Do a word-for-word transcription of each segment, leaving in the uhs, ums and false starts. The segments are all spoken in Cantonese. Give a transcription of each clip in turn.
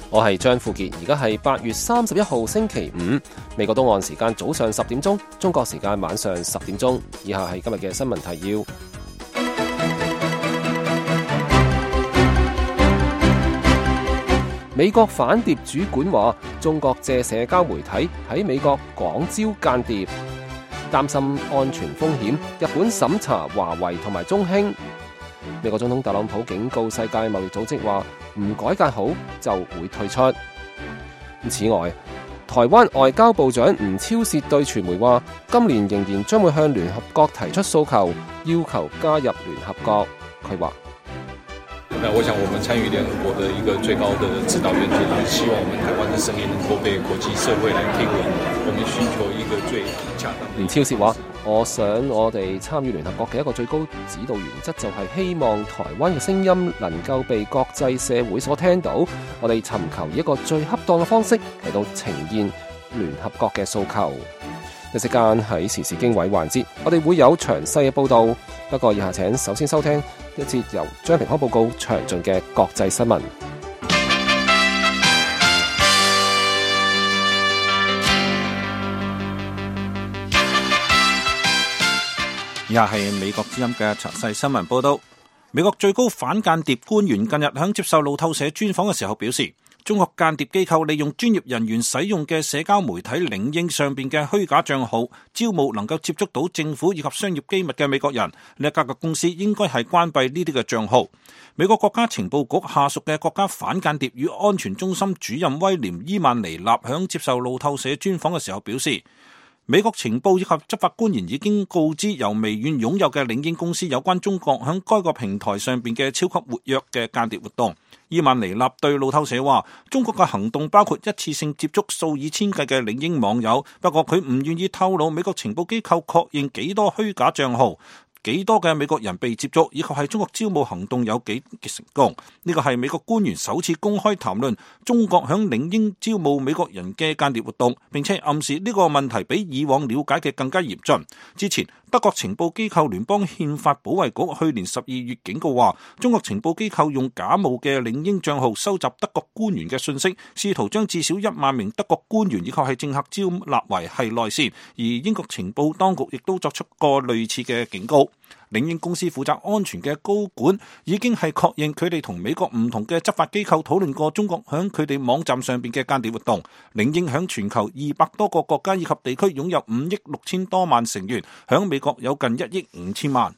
我係張富傑，而家係八月三十一號星期五，美國東岸時間早上十點鐘，中國時間晚上十點鐘。以下係今日嘅新聞提要。美國反諜主管話，中國借社交媒體喺美國廣招間諜，擔心安全風險。日本審查華為同埋中興。美國總統特朗普警告世界貿易組織話，唔改革好就會退出。此外，台灣外交部長吳釗燮對傳媒話，今年仍然將會向聯合國提出訴求，要求加入聯合國。佢話：那我想，我們參與聯合國的一個最高的指導原則，就是希望我們台灣的聲音能夠被國際社會來聽聞。我們尋求一個最恰當。吳釗燮話：我想我哋參與聯合國嘅一個最高指導原則，就係希望台灣嘅聲音能夠被國際社會所聽到。我哋尋求一個最恰當嘅方式嚟到呈現聯合國嘅訴求。一時間喺時事經緯環節，我哋會有詳細嘅報導。不過以下請首先收聽一節由張平康報告詳盡嘅國際新聞。以下係美國之音嘅詳細新聞報道。美國最高反間諜官員近日喺接受路透社專訪嘅時候表示，中國間諜機構利用專業人員使用嘅社交媒體領英上邊嘅虛假賬號，招募能夠接觸到政府以及商業機密嘅美國人。呢一家嘅公司應該係關閉呢啲嘅賬號。美國國家情報局下屬嘅國家反間諜與安全中心主任威廉伊曼尼納響接受路透社專訪嘅時候表示，美國情報以及執法官員已經告知由微軟擁有嘅領英公司有關中國響該個平台上邊嘅超級活躍嘅間諜活動。伊曼尼納對路透社話，中國嘅行動包括一次性接觸數以千計嘅領英網友，不過佢唔願意透露美國情報機構確認幾多虛假賬號，幾多嘅美國人被接觸，以及係中國招募行動有幾成功。呢個係美國官員首次公開談論中國響領英招募美國人嘅間諜活動，並且暗示呢個問題比以往了解嘅更加嚴峻。之前德國情報機構聯邦憲法保衛局去年十二月警告話，中國情報機構用假冒嘅領英賬號收集德國官員嘅信息，試圖將至少一萬名德國官員以及係政客招納為係內線。而英國情報當局亦都作出過類似嘅警告。領英公司負責安全嘅高管已經係確認佢哋同美國唔同嘅執法機構討論過中國響佢哋網站上邊嘅間諜活動。領英響全球二百多個國家以及地區擁有五億六千多萬成員，響美國有近一億五千萬。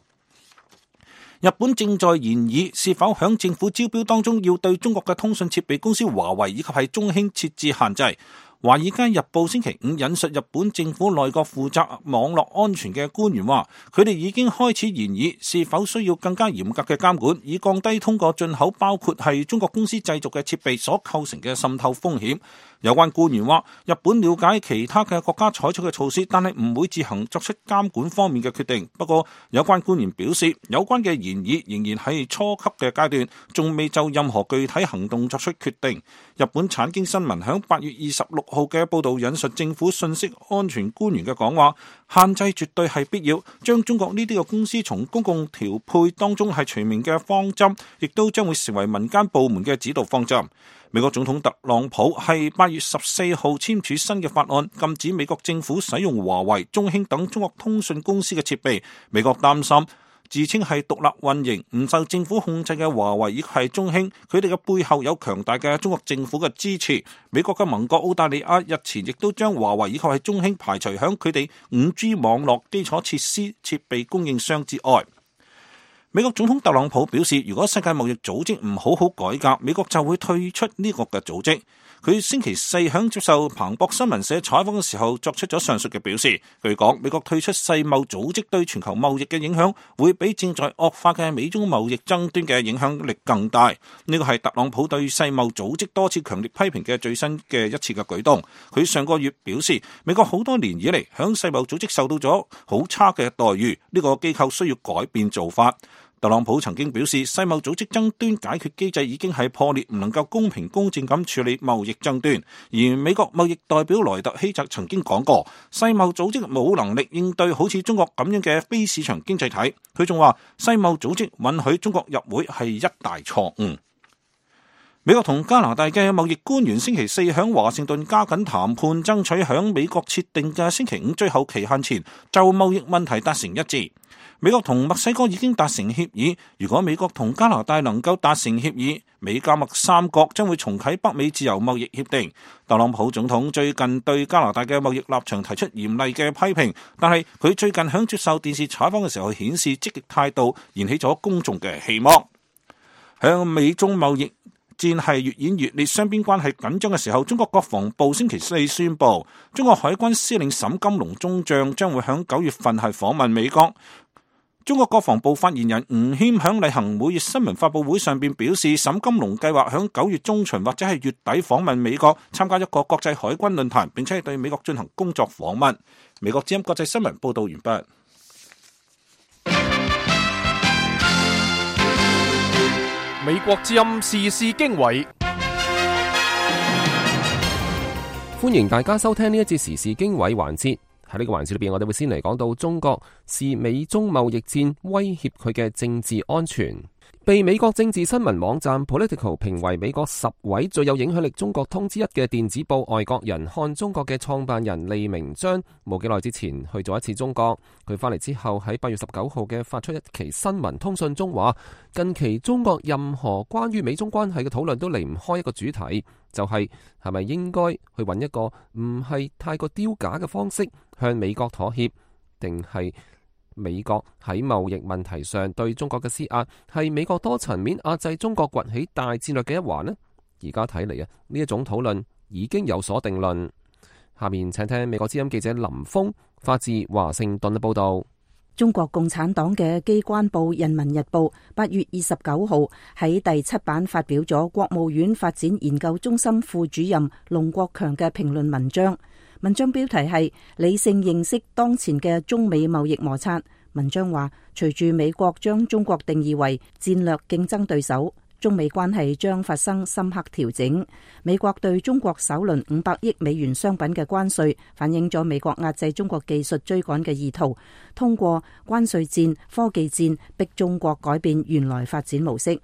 日本正在研議是否響政府招標當中要對中國嘅通訊設備公司華為以及係中興設置限制。華爾街日報星期五引述日本政府內閣負責網絡安全嘅官員話，佢哋已經開始研議是否需要更加嚴格嘅監管，以降低通過進口包括係中國公司製造嘅設備所構成嘅滲透風險。有關官員話，日本了解其他嘅國家採取嘅措施，但係唔會自行作出監管方面嘅決定。不過，有關官員表示，有關嘅研議仍然係初級嘅階段，仲未就任何具體行動作出決定。日本產經新聞響八月二十六號嘅報道引述政府信息安全官員嘅講話，限制絕對係必要，將中國呢啲嘅公司從公共調配當中係除名嘅方針，亦都將會成為民間部門嘅指導方針。美國總統特朗普係八月十四號簽署新嘅法案，禁止美國政府使用華為、中興等中國通訊公司嘅設備。美國擔心自稱係獨立運營、唔受政府控制嘅華為以及係中興，佢哋嘅背後有強大嘅中國政府嘅支持。美國嘅盟國澳大利亞日前亦都將華為以及係中興排除響佢哋五 G 網絡基礎設施設備供應商之外。美國總統特朗普表示，如果世界貿易組織唔好好改革，美國就會退出呢個嘅組織。佢星期四響接受彭博新聞社採訪嘅時候作出咗上述嘅表示。據講，美國退出世貿組織對全球貿易嘅影響會比正在惡化嘅美中貿易爭端嘅影響力更大。呢個係特朗普對世貿組織多次強烈批評嘅最新嘅一次嘅舉動。佢上個月表示，美國好多年以嚟響世貿組織受到咗好差嘅待遇，呢個機構需要改變做法。特朗普曾經表示，世貿組織爭端解決機制已經係破裂，唔能夠公平公正咁處理貿易爭端。而美國貿易代表萊特希澤曾經講過，世貿組織冇能力應對好似中國咁樣嘅非市場經濟體。佢仲話，世貿組織允許中國入會係一大錯誤。美國同加拿大嘅貿易官員星期四響華盛頓加緊談判，爭取響美國設定嘅星期五最後期限前就貿易問題達成一致。美國同墨西哥已經達成協議，如果美國同加拿大能夠達成協議，美加墨三國將會重啟北美自由貿易協定。特朗普總統最近對加拿大嘅貿易立場提出嚴厲嘅批評，但係佢最近響接受電視採訪嘅時候顯示積極態度，燃起咗公眾嘅希望。響美中貿易戰係越演越烈，雙邊關係緊張嘅時候，中國國防部星期四宣布，中國海軍司令沈金龍中將將會響九月份係訪問美國。中國國防部發言人吳謙響例行每月新聞發佈會上邊表示，沈金龍計劃響九月中旬或者係月底訪問美國，參加一個國際海軍論壇，並且係對美國進行工作訪問。美國之音國際新聞報道完畢。美國之音時事經緯，歡迎大家收聽呢一節時事經緯環節。喺呢個環節裏邊，我哋會先嚟講到中國視美中貿易戰威脅佢嘅政治安全。被美國政治新聞網站 Political 評為美國十位最有影響力中國通之一嘅電子報《外國人看中國》嘅創辦人利明章，冇幾耐之前去咗一次中國。佢翻嚟之後喺八月十九號嘅發出一期新聞通訊中話，近期中國任何關於美中關係嘅討論都離唔開一個主題，就係係咪應該去揾一個唔係太過丟架嘅方式向美國妥協，定係美國喺貿易問題上對中國嘅施壓係美國多層面壓制中國崛起大戰略嘅一環呢？而家睇嚟啊，呢一種討論已經有所定論。下面請聽美國之音記者林峰發自華盛頓嘅報道。中國共產黨嘅機關報《人民日報》八月二十九號喺第七版發表咗國務院發展研究中心副主任龍國強嘅評論文章。文章標題係理性認識當前嘅中美貿易摩擦。文章話，隨住美國將中國定義為戰略競爭對手，中美關係將發生深刻調整。美國對中國首輪五百億美元商品嘅關稅，反映咗美國壓制中國技術追趕嘅意圖，通過關稅戰、科技戰逼中國改變原來發展模式。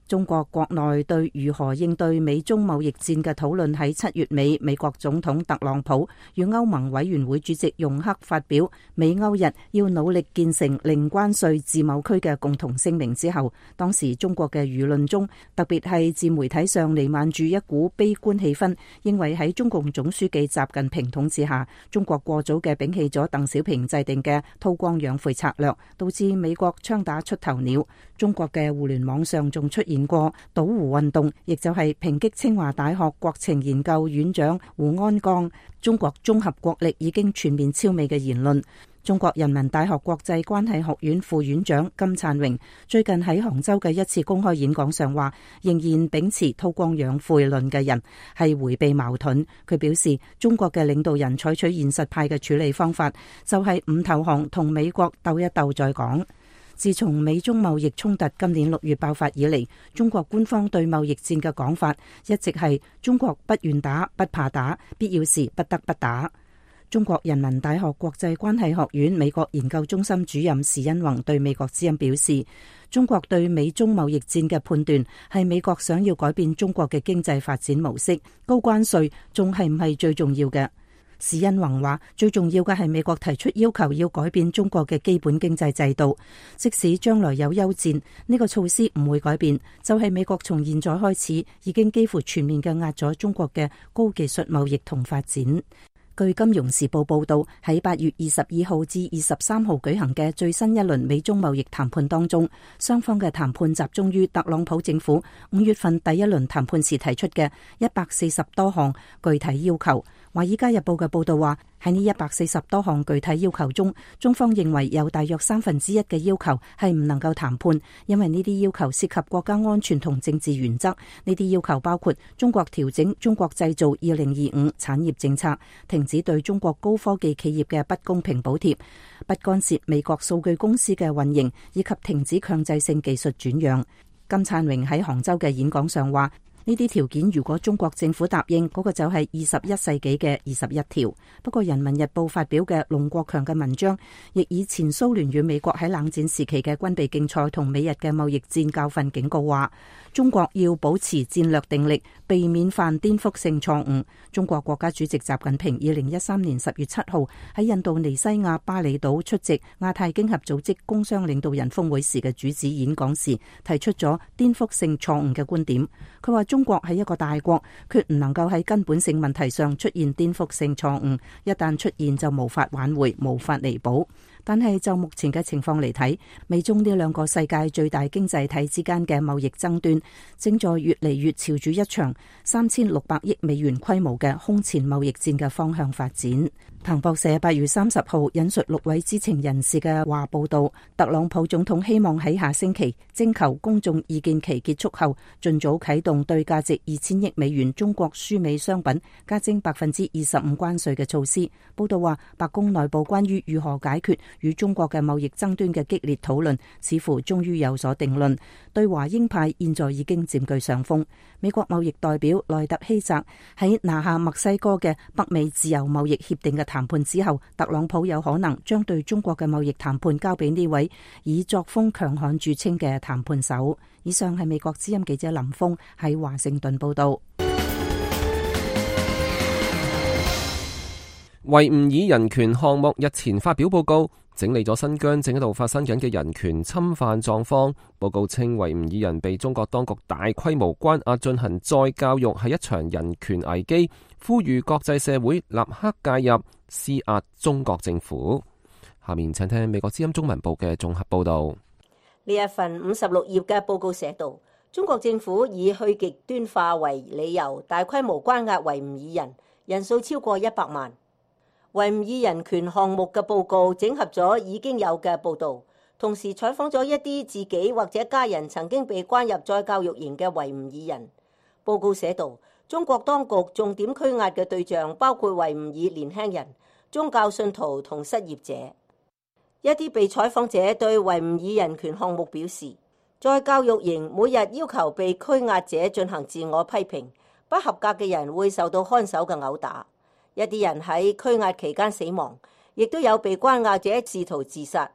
中國國內對如何應對美中貿易戰嘅討論喺七月尾，美國總統特朗普與歐盟委員會主席容克發表美歐日要努力建成零關稅自貿區嘅共同聲明之後，當時中國嘅輿論中，特別係自媒體上彌漫住一股悲觀氣氛，認為喺中共總書記習近平統治下，中國過早嘅摒棄咗鄧小平制定嘅韜光養晦策略，導致美國槍打出頭鳥。中國嘅互聯網上仲出現過倒胡運動，亦就係抨擊清華大學國情研究院長胡安江中國綜合國力已經全面超美嘅言論。中國人民大學國際關係學院副院長金燦榮最近喺杭州嘅一次公開演講上話，仍然秉持韜光養晦論嘅人係迴避矛盾。佢表示，中國嘅領導人採取現實派嘅處理方法，就係唔投降，同美國鬥一鬥再講。自從美中貿易衝突今年六月爆發以嚟，中國官方對貿易戰嘅講法一直係中國不願打、不怕打，必要時不得不打。中國人民大學國際關係學院美國研究中心主任時殷弘對美國之音表示，中國對美中貿易戰嘅判斷係美國想要改變中國嘅經濟發展模式，高關稅仲係唔係最重要嘅？時殷弘話，最重要嘅係美國提出要求要改變中國嘅基本經濟制度，即使將來有休戰，呢個措施唔會改變，就係美國從現在開始已經幾乎全面嘅壓咗中國嘅高技術貿易同發展。據《金融時報》報道，喺八月二十二號至二十三號舉行嘅最新一輪美中貿易談判當中，雙方嘅談判集中於特朗普政府五月份第一輪談判時提出嘅一百四十多項具體要求。《華爾街日報》嘅報道話，喺呢一百四十多項具體要求中，中方認為有大約三分之一嘅要求係唔能夠談判，因為呢啲要求涉及國家安全同政治原則。呢啲要求包括中國調整中國製造二零二五產業政策，停止對中國高科技企業嘅不公平補貼，不干涉美國數據公司嘅運營，以及停止強制性技術轉讓。金燦榮喺杭州嘅演講上話，呢啲條件如果中國政府答應，嗰個就係二十一世紀嘅二十一條。不過《人民日報》發表嘅龍國強嘅文章，亦以前蘇聯與美國喺冷戰時期嘅軍備競賽同美日嘅貿易戰教訓警告話，中國要保持戰略定力，避免犯顛覆性錯誤。中國國家主席習近平二零一三年十月七號喺印度尼西亞巴厘島出席亞太經合組織工商領導人峰會時嘅主旨演講時，提出咗顛覆性錯誤嘅觀點。佢話中國係一個大國，決唔能夠喺根本性問題上出現顛覆性錯誤，一旦出現就無法挽回，無法彌補。但係就目前嘅情況嚟睇，美中呢兩個世界最大經濟體之間嘅貿易爭端，正在越嚟越朝住一場三千六百億美元規模嘅空前貿易戰嘅方向發展。彭博社八月三十號引述六位知情人士嘅話報道，特朗普總統希望喺下星期徵求公眾意見期結束後，盡早啟動對價值二千億美元中國輸美商品加徵百分之二十五關稅嘅措施。報道話，白宮內部關於如何解決與中國嘅貿易爭端嘅激烈討論，似乎終於有所定論。對華鷹派現在已經佔據上風。美國貿易代表萊特希澤喺拿下墨西哥嘅北美自由貿易協定嘅談判之後，特朗普有可能將對中國嘅貿易談判交俾呢位以作風強悍著稱嘅談判手。以上係美國之音記者林峰喺華盛頓報道。維吾爾人權項目日前發表報告，整理咗新疆正喺度發生緊嘅人權侵犯狀況。報告稱，維吾爾人被中國當局大規模關押進行再教育係一場人權危機，呼籲國際社會立刻介入施壓中國政府。下面請聽美國之音中文部嘅綜合報道。呢一份五十六頁嘅報告寫道，中國政府以去極端化為理由，大規模關押維吾爾人，人數超過一百萬。維吾爾人權項目嘅報告整合咗已經有嘅報導，同時採訪咗一啲自己或者家人曾經被關入再教育營嘅維吾爾人。報告寫道，中國當局重點拘押嘅對象包括維吾爾年輕人、宗教信徒同失業者。一啲被採訪者對維吾爾人權項目表示，再教育營每日要求被拘押者進行自我批評，不合格嘅人會受到看守嘅毆打。一啲人喺拘押期間死亡，亦都有被關押者試圖自殺。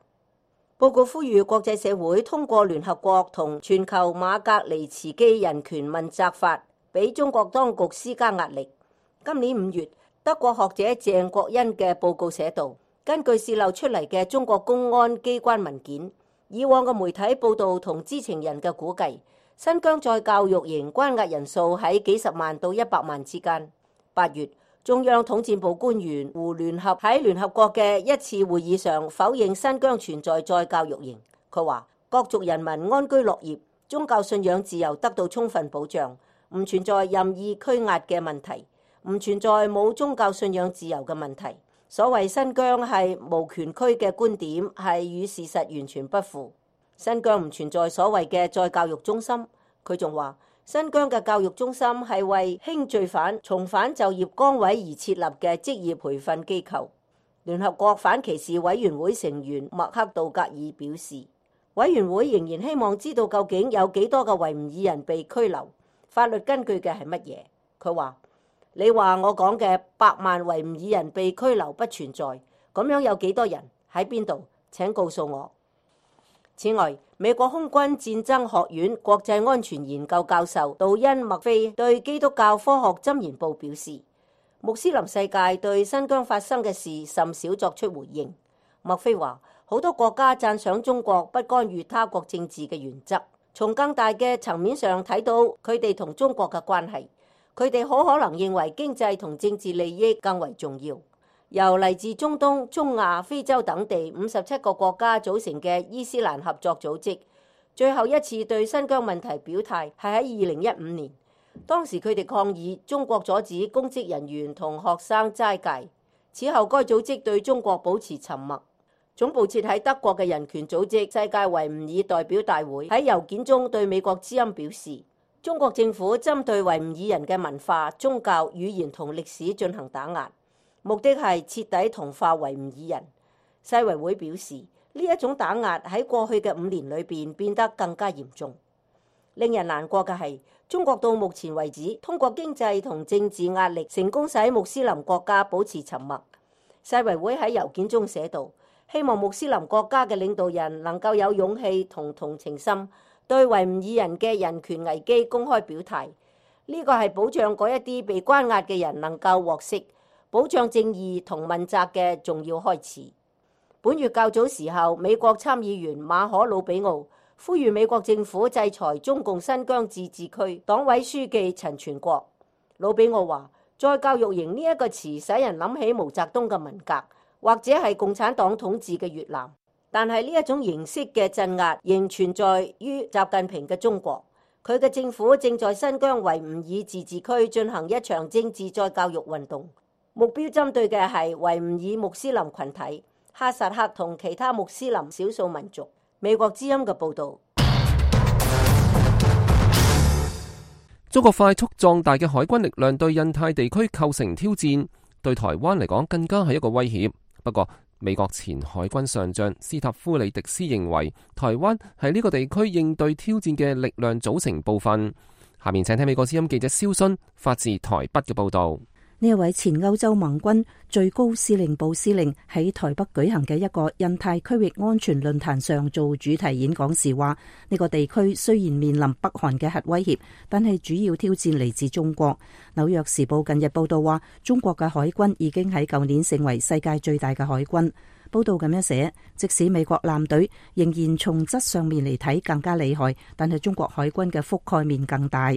報告呼籲國際社會通過聯合國同全球馬格尼茨基人權問責法，俾中國當局施加壓力。今年五月，德國學者鄭國恩嘅報告寫道，根據洩漏出嚟嘅中國公安機關文件，以往嘅媒體報道同知情人嘅估計，新疆再教育營關押人數喺幾十萬到一百萬之間。八月，中央統戰部官員胡聯合喺聯合國嘅一次會議上否認新疆存在再教育營。佢話各族人民安居樂業，宗教信仰自由得到充分保障，唔存在任意拘押嘅問題，唔存在冇宗教信仰自由嘅問題。所謂新疆係無權區嘅觀點係與事實完全不符。新疆唔存在所謂嘅再教育中心。佢仲話，新疆嘅教育中心係為輕罪犯重返就業崗位而設立嘅職業培訓機構。聯合國反歧視委員會成員麥克道格爾表示，委員會仍然希望知道究竟有幾多個維吾爾人被拘留，法律根據嘅係乜嘢。佢話，你話我講嘅百萬維吾爾人被拘留不存在，咁樣有幾多人喺邊度？請告訴我。此外，美國空軍戰爭學院國際安全研究教授杜恩麥菲對基督教科學箴言報表示，穆斯林世界對新疆發生嘅事甚少作出回應。麥菲話，好多國家讚賞中國不干預他國政治嘅原則，從更大嘅層面上睇到佢哋同中國嘅關係，佢哋好可能認為經濟同政治利益更為重要。由嚟自中東、中亞、非洲等地五十七個國家組成嘅伊斯蘭合作組織，最後一次對新疆問題表態係喺二零一五年，當時佢哋抗議中國阻止公職人員同學生齋戒。此後該組織對中國保持沉默。總部設喺德國嘅人權組織世界維吾爾代表大會喺郵件中對美國之音表示，中國政府針對維吾爾人嘅文化、宗教、語言同歷史進行打壓，目的係徹底同化維吾爾人。世維會表示，呢一種打壓喺過去嘅五年裏邊變得更加嚴重。令人難過嘅係，中國到目前為止，通過經濟同政治壓力，成功使穆斯林國家保持沉默。世衛會喺郵件中寫道，希望穆斯林國家嘅領導人能夠有勇氣同同情心，對維吾爾人嘅人權危機公開表態。呢個係保障嗰一啲被關押嘅人能夠獲釋，保障正義同問責嘅重要開始。本月較早時候，美國參議員馬可魯比奧呼籲美國政府制裁中共新疆自治區黨委書記陳全國。魯比奧話，再教育營呢一個詞使人諗起毛澤東嘅文革，或者係共產黨統治嘅越南。但係呢一種形式嘅鎮壓仍存在於習近平嘅中國。佢嘅政府正在新疆維吾爾自治區進行一場政治再教育運動，目標針對嘅係維吾爾穆斯林群體、哈薩克同其他穆斯林少數民族。美國之音嘅報導。中國快速壯大嘅海軍力量對印太地區構成挑戰，對台灣嚟講更加係一個威脅。不過，美國前海軍上將斯塔夫里迪斯認為，台灣係呢個地區應對挑戰嘅力量組成部分。下面請聽美國之音記者蕭순發自台北嘅報導。呢一位前歐洲盟軍最高司令部司令喺台北舉行嘅一個印太區域安全論壇上做主題演講時話，呢個地區雖然面臨北韓嘅核威脅，但係主要挑戰嚟自中國。紐約時報近日報道話，中國嘅海軍已經喺舊年成為世界最大嘅海軍。報道咁樣寫，即使美國艦隊仍然從質上面嚟睇更加厲害，但係中國海軍嘅覆蓋面更大。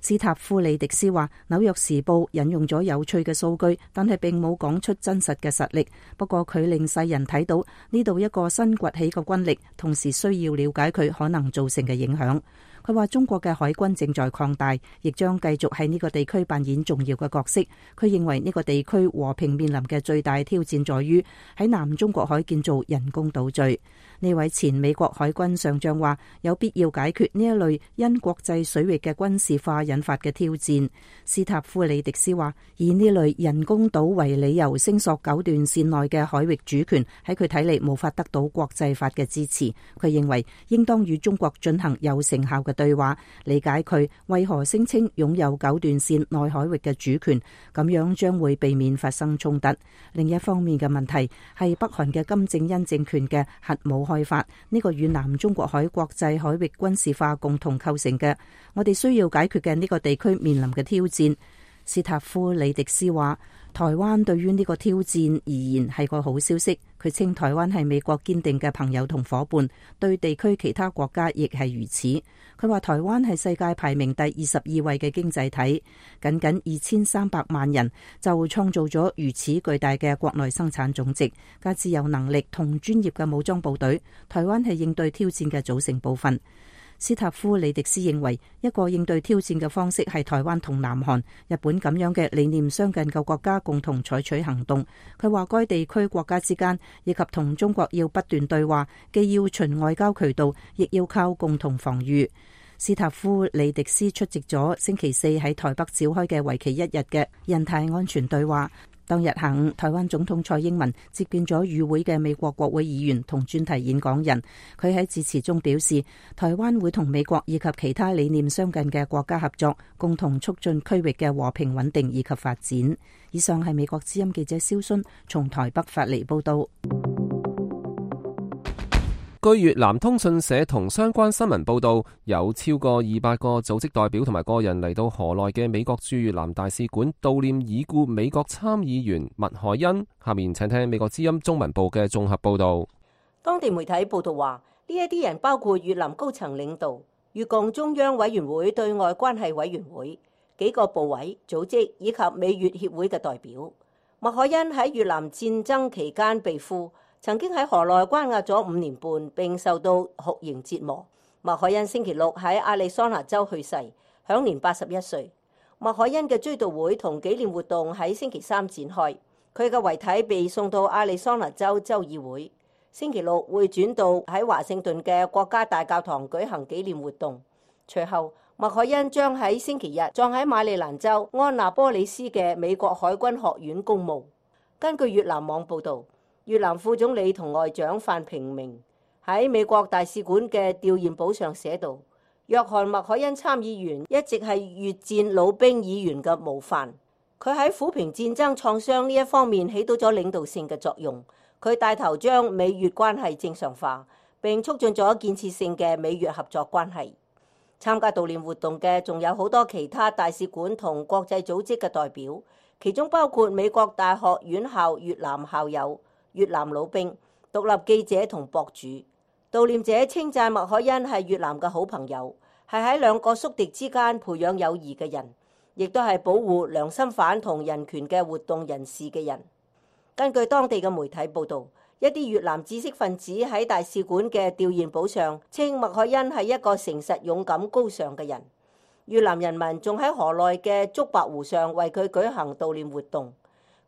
斯塔夫里迪斯話，紐約時報引用咗有趣嘅數據，但係並冇講出真實嘅實力。不過佢令世人睇到呢度一個新崛起嘅軍力，同時需要了解佢可能造成嘅影響。佢話中國嘅海軍正在擴大，亦將繼續喺呢個地區扮演重要嘅角色。佢認為呢個地區和平面臨嘅最大挑戰在於喺南中國海建造人工島嶼。呢位前美國海軍上將話，有必要解決呢一類因國際水域嘅軍事化引發嘅挑戰。斯塔夫里迪斯話，以呢類人工島為理由聲索九段線內嘅海域主權，喺佢睇嚟無法得到國際法嘅支持。佢認為應當與中國進行有成效嘅對話，理解佢為何聲稱擁有九段線內海域嘅主權，咁樣將會避免發生衝突。另一方面嘅問題係北韓嘅金正恩政權嘅核武開發，呢個與南中國海國際海域軍事化共同構成嘅，我哋需要解決嘅呢個地區面臨嘅挑戰。斯塔夫里迪斯話，台灣對於呢個挑戰而言係個好消息。佢稱台灣係美國堅定嘅朋友同夥伴，對地區其他國家亦係如此。佢話台灣係世界排名第二十二位嘅經濟體，僅僅二千三百萬人就創造咗如此巨大嘅國內生產總值，加之有能力同專業嘅武裝部隊，台灣係應對挑戰嘅組成部分。斯塔夫里迪斯認為，一個應對挑戰嘅方式係台灣同南韓、日本咁樣嘅理念相近嘅國家共同採取行動。佢話該地區國家之間以及同中國要不斷對話，既要循外交渠道，亦要靠共同防禦。斯塔夫里迪斯出席咗星期四喺台北召開嘅為期一日嘅印太安全對話。當日下午，台灣總統蔡英文接見咗與會嘅美國國會議員同專題演講人。佢喺致辭中表示，台灣會同美國以及其他理念相近嘅國家合作，共同促進區域嘅和平穩定以及發展。以上係美國之音記者蕭순從台北發嚟報道。據越南通訊社同相關新聞報道，有超過二百個組織代表同埋個人嚟到河內嘅美國駐越南大使館悼念已故美國參議員麥凱恩。下面請聽美國之音中文部嘅綜合報道。當地媒體報道話，呢一啲人包括越南高層領導、越共中央委員會對外關係委員會、幾個部委、組織以及美越協會嘅代表。麥凱恩喺越南戰爭期間被俘，曾經喺河內關押咗五年半，並受到酷刑折磨。麥凱恩星期六喺亞利桑那州去世，享年八十一歲。麥凱恩嘅追悼會同紀念活動喺星期三展開，佢嘅遺體被送到亞利桑那州州議會，星期六會轉到喺華盛頓嘅國家大教堂舉行紀念活動。隨後，麥凱恩將喺星期日葬喺馬里蘭州安納波利斯嘅美國海軍學院公墓。根據越南網報導，越南副總理同外長范平明喺美國大使館嘅弔唁簿上寫道：約翰麥凱恩參議員一直係越戰老兵議員嘅模範，佢喺撫平戰爭創傷呢一方面起到咗領導性嘅作用。佢帶頭將美越關係正常化，並促進咗建設性嘅美越合作關係。參加悼念活動嘅仲有好多其他大使館同國際組織嘅代表，其中包括美國大學院校越南校友、越南老兵、獨立記者同博主。悼念者稱讚麥凱恩係越南嘅好朋友，係喺兩個宿敵之間培養友誼嘅人，亦都係保護良心犯同人權嘅活動人士嘅人。根據當地嘅媒體報導，一啲越南知識分子喺大使館嘅弔唁簿上稱麥凱恩係一個誠實、勇敢、高尚嘅人。越南人民仲喺河內嘅竹白湖上為佢舉行悼念活動。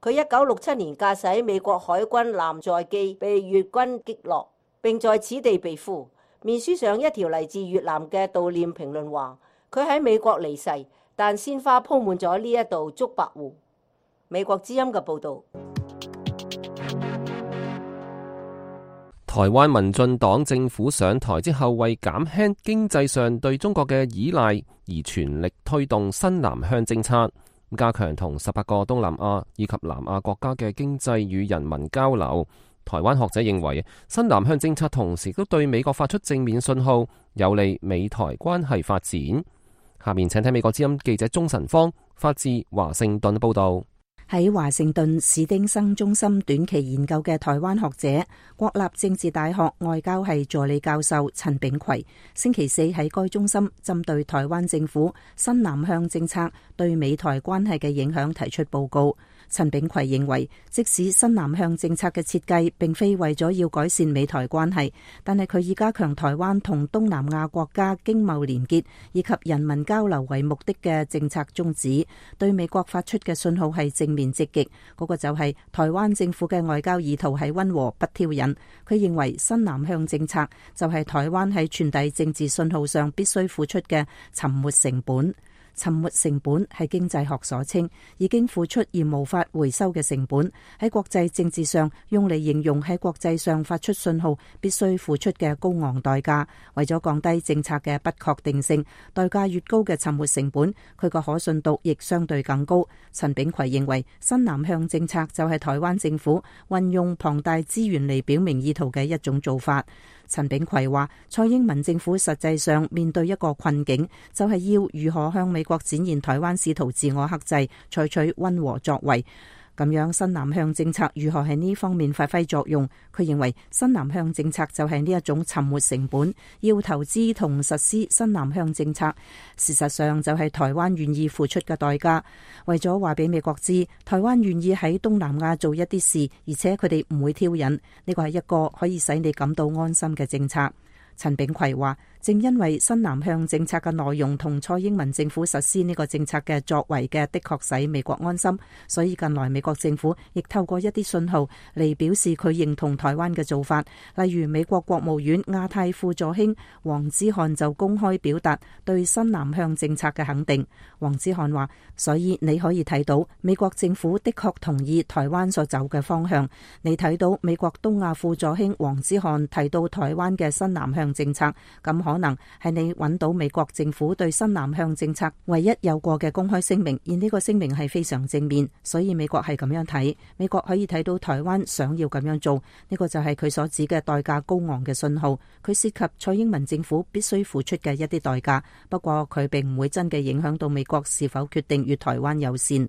佢一九六七年駕駛美國海軍艦載機被越軍擊落，並在此地被俘。面書上一條嚟自越南嘅悼念評論話：佢喺美國離世，但鮮花鋪滿咗呢一道竹白湖。美國之音嘅報導。台灣民進黨政府上台之後，為減輕經濟上對中國嘅依賴，而全力推動新南向政策，加強同十八個東南亞以及南亞國家嘅經濟與人民交流。台灣學者認為，新南向政策同時都對美國發出正面信號，有利美台關係發展。下面請睇美國之音記者鍾晨芳發自華盛頓報道。喺華盛頓史丁生中心短期研究嘅台灣學者、國立政治大學外交系助理教授陳炳奎，星期四喺該中心針對台灣政府新南向政策對美台關係嘅影響提出報告。陳炳奎認為，即使新南向政策嘅設計並非為咗要改善美台關係，但係佢以加強台灣同東南亞國家經貿連結以及人民交流為目的嘅政策宗旨，對美國發出嘅信號係正面積極。嗰、那個就係台灣政府嘅外交意圖係溫和不挑釁。佢認為新南向政策就係台灣喺傳遞政治信號上必須付出嘅沉沒成本。沉沒成本係經濟學所稱，已經付出而無法回收嘅成本，喺國際政治上用嚟形容喺國際上發出信號必須付出嘅高昂代價。為咗降低政策嘅不確定性，代價越高嘅沉沒成本，佢個可信度亦相對更高。陳炳奎認為，新南向政策就係台灣政府運用龐大資源嚟表明意圖嘅一種做法。陳炳奎話，蔡英文政府實際上面對一個困境，就係要如何向美國展現台灣試圖自我克制，採取溫和作為。咁樣新南向政策如何喺呢方面發揮作用？佢認為新南向政策就係呢一種沉沒成本，要投資同實施新南向政策，事實上就係台灣願意付出嘅代價。為咗話俾美國知，台灣願意喺東南亞做一啲事，而且佢哋唔會挑釁，呢個係一個可以使你感到安心嘅政策。陳炳奎話，正因為新南向政策嘅內容同蔡英文政府實施呢個政策嘅作為嘅，的確使美國安心，所以近來美國政府亦透過一啲信號嚟表示佢認同台灣嘅做法。例如美國國務院亞太副助卿黃之漢就公開表達對新南向政策嘅肯定。黃之漢話，所以你可以睇到美國政府的確同意台灣所走嘅方向。你睇到美國東亞副助卿黃之漢提到台灣嘅新南向政策，咁可能係你揾到美國政府對新南向政策唯一有過嘅公開聲明，而呢個聲明係非常正面，所以美國係咁樣睇。美國可以睇到台灣想要咁樣做，呢個就係佢所指嘅代價高昂嘅信號。佢涉及蔡英文政府必須付出嘅一啲代價，不過佢並唔會真嘅影響到美國是否決定與台灣友善。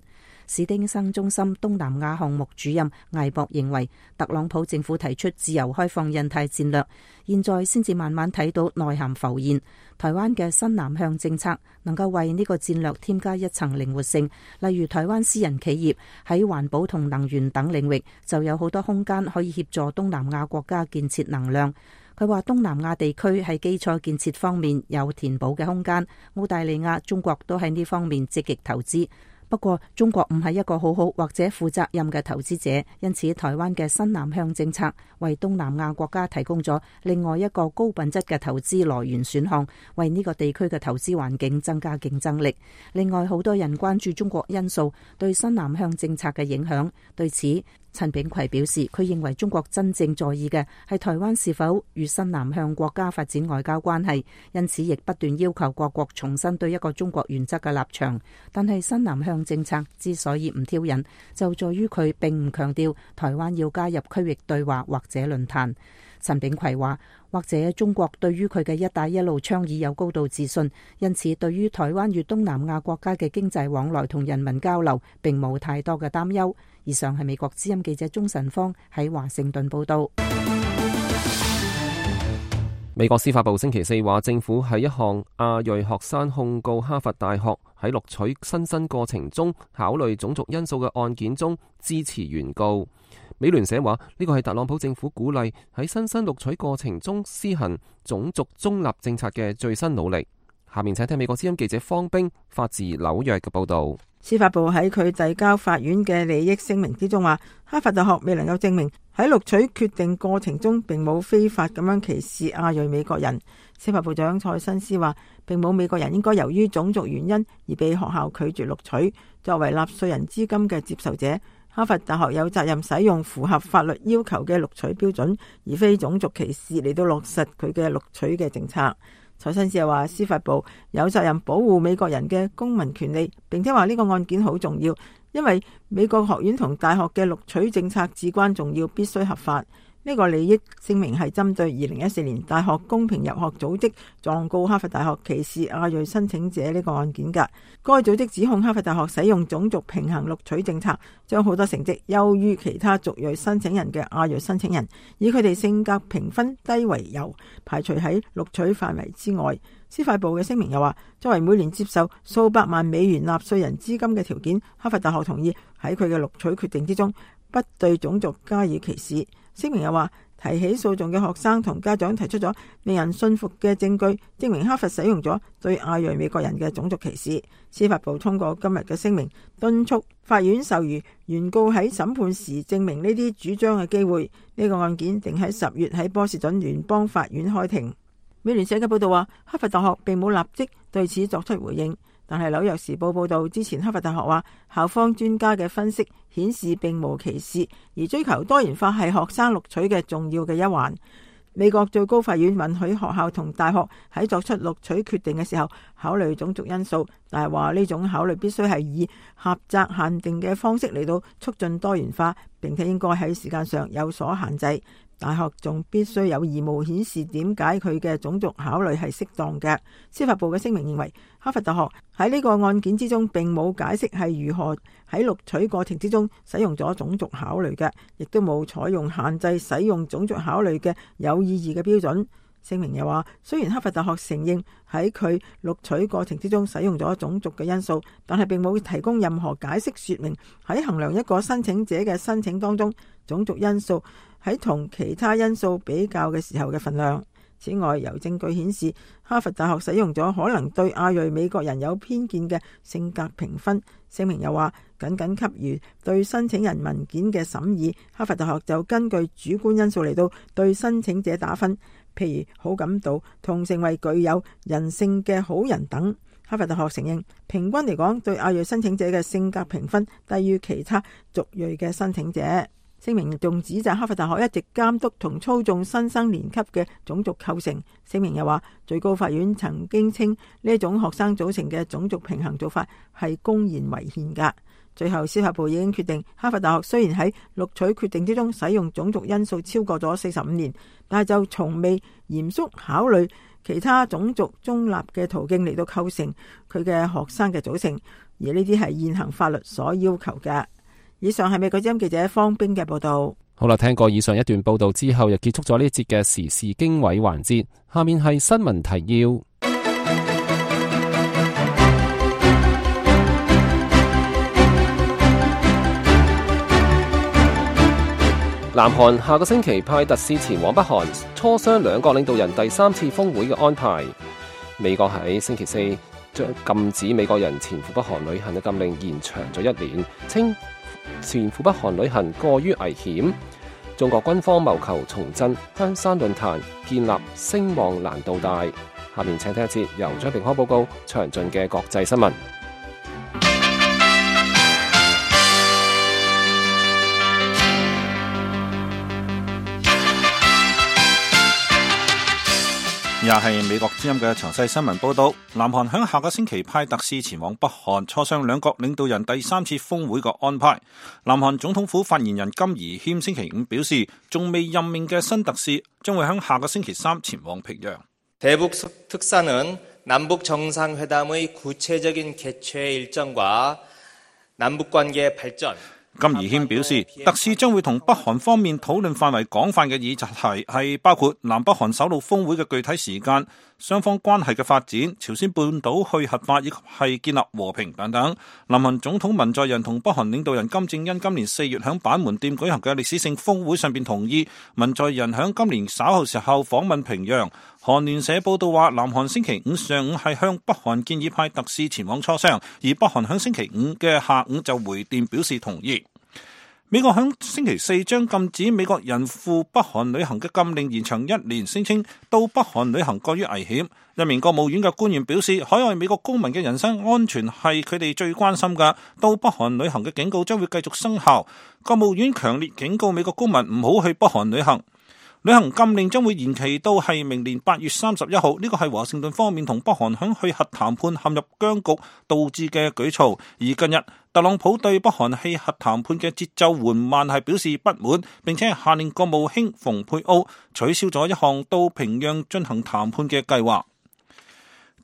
史丁生中心東南亞項目主任艾博認為，特朗普政府提出自由開放印太戰略，現在先至慢慢睇到內涵浮現。台灣嘅新南向政策能夠為呢個戰略添加一層靈活性，例如台灣私人企業喺環保同能源等領域就有好多空間可以協助東南亞國家建設能量。佢話東南亞地區喺基礎建設方面有填補嘅空間，澳大利亞、中國都喺呢方面積極投資。不過中國唔係一個好好或者負責任嘅投資者，因此台灣嘅新南向政策為東南亞國家提供咗另外一個高品質嘅投資來源選項，為呢個地區嘅投資環境增加競爭力。另外，好多人關注中國因素對新南向政策嘅影響，對此陳炳奎表示，佢認為中國真正在意嘅係台灣是否與新南向國家發展外交關係，因此亦不斷要求各國重新對一個中國原則嘅立場。但係新南向政策之所以唔挑釁，就在於佢並唔強調台灣要加入區域對話或者論壇。陳炳奎話，或者中國對於佢嘅一帶一路倡議有高度自信，因此對於台灣與東南亞國家嘅經濟往來同人民交流並冇太多嘅擔憂。以上係美國之音記者鍾晨芳喺華盛頓報道。美國司法部星期四話，政府喺一項亞裔學生控告哈佛大學喺錄取新生過程中考慮種族因素嘅案件中支持原告。美聯社話，呢個係特朗普政府鼓勵喺新生錄取過程中施行種族中立政策嘅最新努力。下面請聽美國之音記者方冰發自紐約嘅報道。司法部喺佢遞交法院嘅利益聲明之中話，哈佛大學未能夠證明喺錄取決定過程中並冇非法咁樣歧視亞裔美國人。司法部長蔡新斯話，並冇美國人應該由於種族原因而被學校拒絕錄取。作為納稅人資金嘅接受者，哈佛大學有責任使用符合法律要求嘅錄取標準，而非種族歧視嚟到落實佢嘅錄取嘅政策。蔡新斯又話，司法部有責任保護美國人嘅公民權利，並且話呢個案件好重要，因為美國學院同大學嘅錄取政策至關重要，必須合法。呢個利益聲明係針對二零一四年大學公平入學組織狀告哈佛大學歧視亞裔申請者呢個案件㗎。該組織指控哈佛大學使用種族平衡錄取政策，將好多成績優於其他族裔申請人嘅亞裔申請人，以佢哋性格評分低為由，排除喺錄取範圍之外。司法部嘅聲明又話，作為每年接受數百萬美元納稅人資金嘅條件，哈佛大學同意喺佢嘅錄取決定之中不對種族加以歧視。聲明又話，提起訴訟嘅學生同家長提出咗令人信服嘅證據，證明哈佛使用咗對亞裔美國人嘅種族歧視。司法部通過今日嘅聲明，敦促法院授予原告喺審判時證明呢啲主張嘅機會。呢個案件定喺十月喺波士頓聯邦法院開庭。美聯社嘅報道話，哈佛大學並冇立即對此作出回應。但係紐約時報報道，之前哈佛大學話，校方專家嘅分析顯示並無歧視，而追求多元化係學生錄取嘅重要嘅一環。美國最高法院允許學校同大學喺作出錄取決定嘅時候考慮種族因素，但係話呢種考慮必須係以狹窄限定嘅方式嚟到促進多元化，並且應該喺時間上有所限制。大學仲必須有義務顯示點解佢嘅種族考慮係適當嘅。司法部嘅聲明認為，哈佛大學喺呢個案件之中並冇解釋係如何喺錄取過程之中使用咗種族考慮嘅，亦都冇採用限制使用種族考慮嘅有意義嘅標準。聲明又話，雖然哈佛大學承認喺佢錄取過程之中使用咗種族嘅因素，但係並冇提供任何解釋說明喺衡量一個申請者嘅申請當中，種族因素喺同其他因素比較嘅時候嘅份量。此外，有證據顯示哈佛大學使用咗可能對亞裔美國人有偏見嘅性格評分。聲明又話，僅僅給予對申請人文件嘅審議，哈佛大學就根據主觀因素嚟到對申請者打分，譬如好感度同成為具有人性嘅好人等。哈佛大學承認，平均嚟講，對亞裔申請者嘅性格評分低於其他族裔嘅申請者。聲明仲指責哈佛大學一直監督同操縱新生年級嘅種族構成。聲明又話，最高法院曾經稱呢一種學生組成嘅種族平衡做法係公然違憲㗎。最後，司法部已經決定，哈佛大學雖然喺錄取決定之中使用種族因素超過咗四十五年，但係就從未嚴肅考慮其他種族中立嘅途徑嚟到構成佢嘅學生嘅組成，而呢啲係現行法律所要求嘅。以上係美國之音記者方冰嘅報道。好啦，聽過以上一段報道之後，又結束咗呢一節嘅時事經緯環節。下面係新聞提要。南韓下個星期派特使前往北韓磋商兩國領導人第三次峰會嘅安排。美國喺星期四將禁止美國人前赴北韓旅行嘅禁令延長咗一年，稱前赴北韓旅行過於危險。中國軍方謀求重振香山論壇，建立聲望難度大。下面請聽一節由張平康報告詳盡嘅國際新聞。以下係美國之音嘅詳細新聞報道。南韓響下個星期派特使前往北韓磋商兩國領導人第三次峰會嘅安排。南韓總統府發言人金宜謙星期五表示，仲未任命嘅新特使將會響下個星期三前往平壤。대북특사는남북정상회담의구체적인개최일정과남북관계발전金宜謙表示，特使將會同北韓方面討論範圍廣泛嘅議題，係包括南北韓首腦峰會嘅具體時間、雙方關係嘅發展、朝鮮半島去核化以及係建立和平等等。南韓總統文在寅同北韓領導人金正恩今年四月響板門店舉行嘅歷史性峰會上邊同意，文在寅響今年稍後時候訪問平壤。韓聯社報道話，南韓星期五上午係向北韓建議派特使前往磋商，而北韓響星期五嘅下午就回電表示同意。美國響星期四將禁止美國人赴北韓旅行嘅禁令延長一年，聲稱到北韓旅行過於危險。一名國務院嘅官員表示，海外美國公民嘅人身安全係佢哋最關心嘅，到北韓旅行嘅警告將會繼續生效。國務院強烈警告美國公民唔好去北韓旅行。旅行禁令將會延期到係明年八月三十一號，呢個係華盛頓方面同北韓響去核談判陷入僵局導致嘅舉措。而近日特朗普對北韓去核談判嘅節奏緩慢係表示不滿，並且下令國務卿蓬佩奧取消咗一項到平壤進行談判嘅計劃。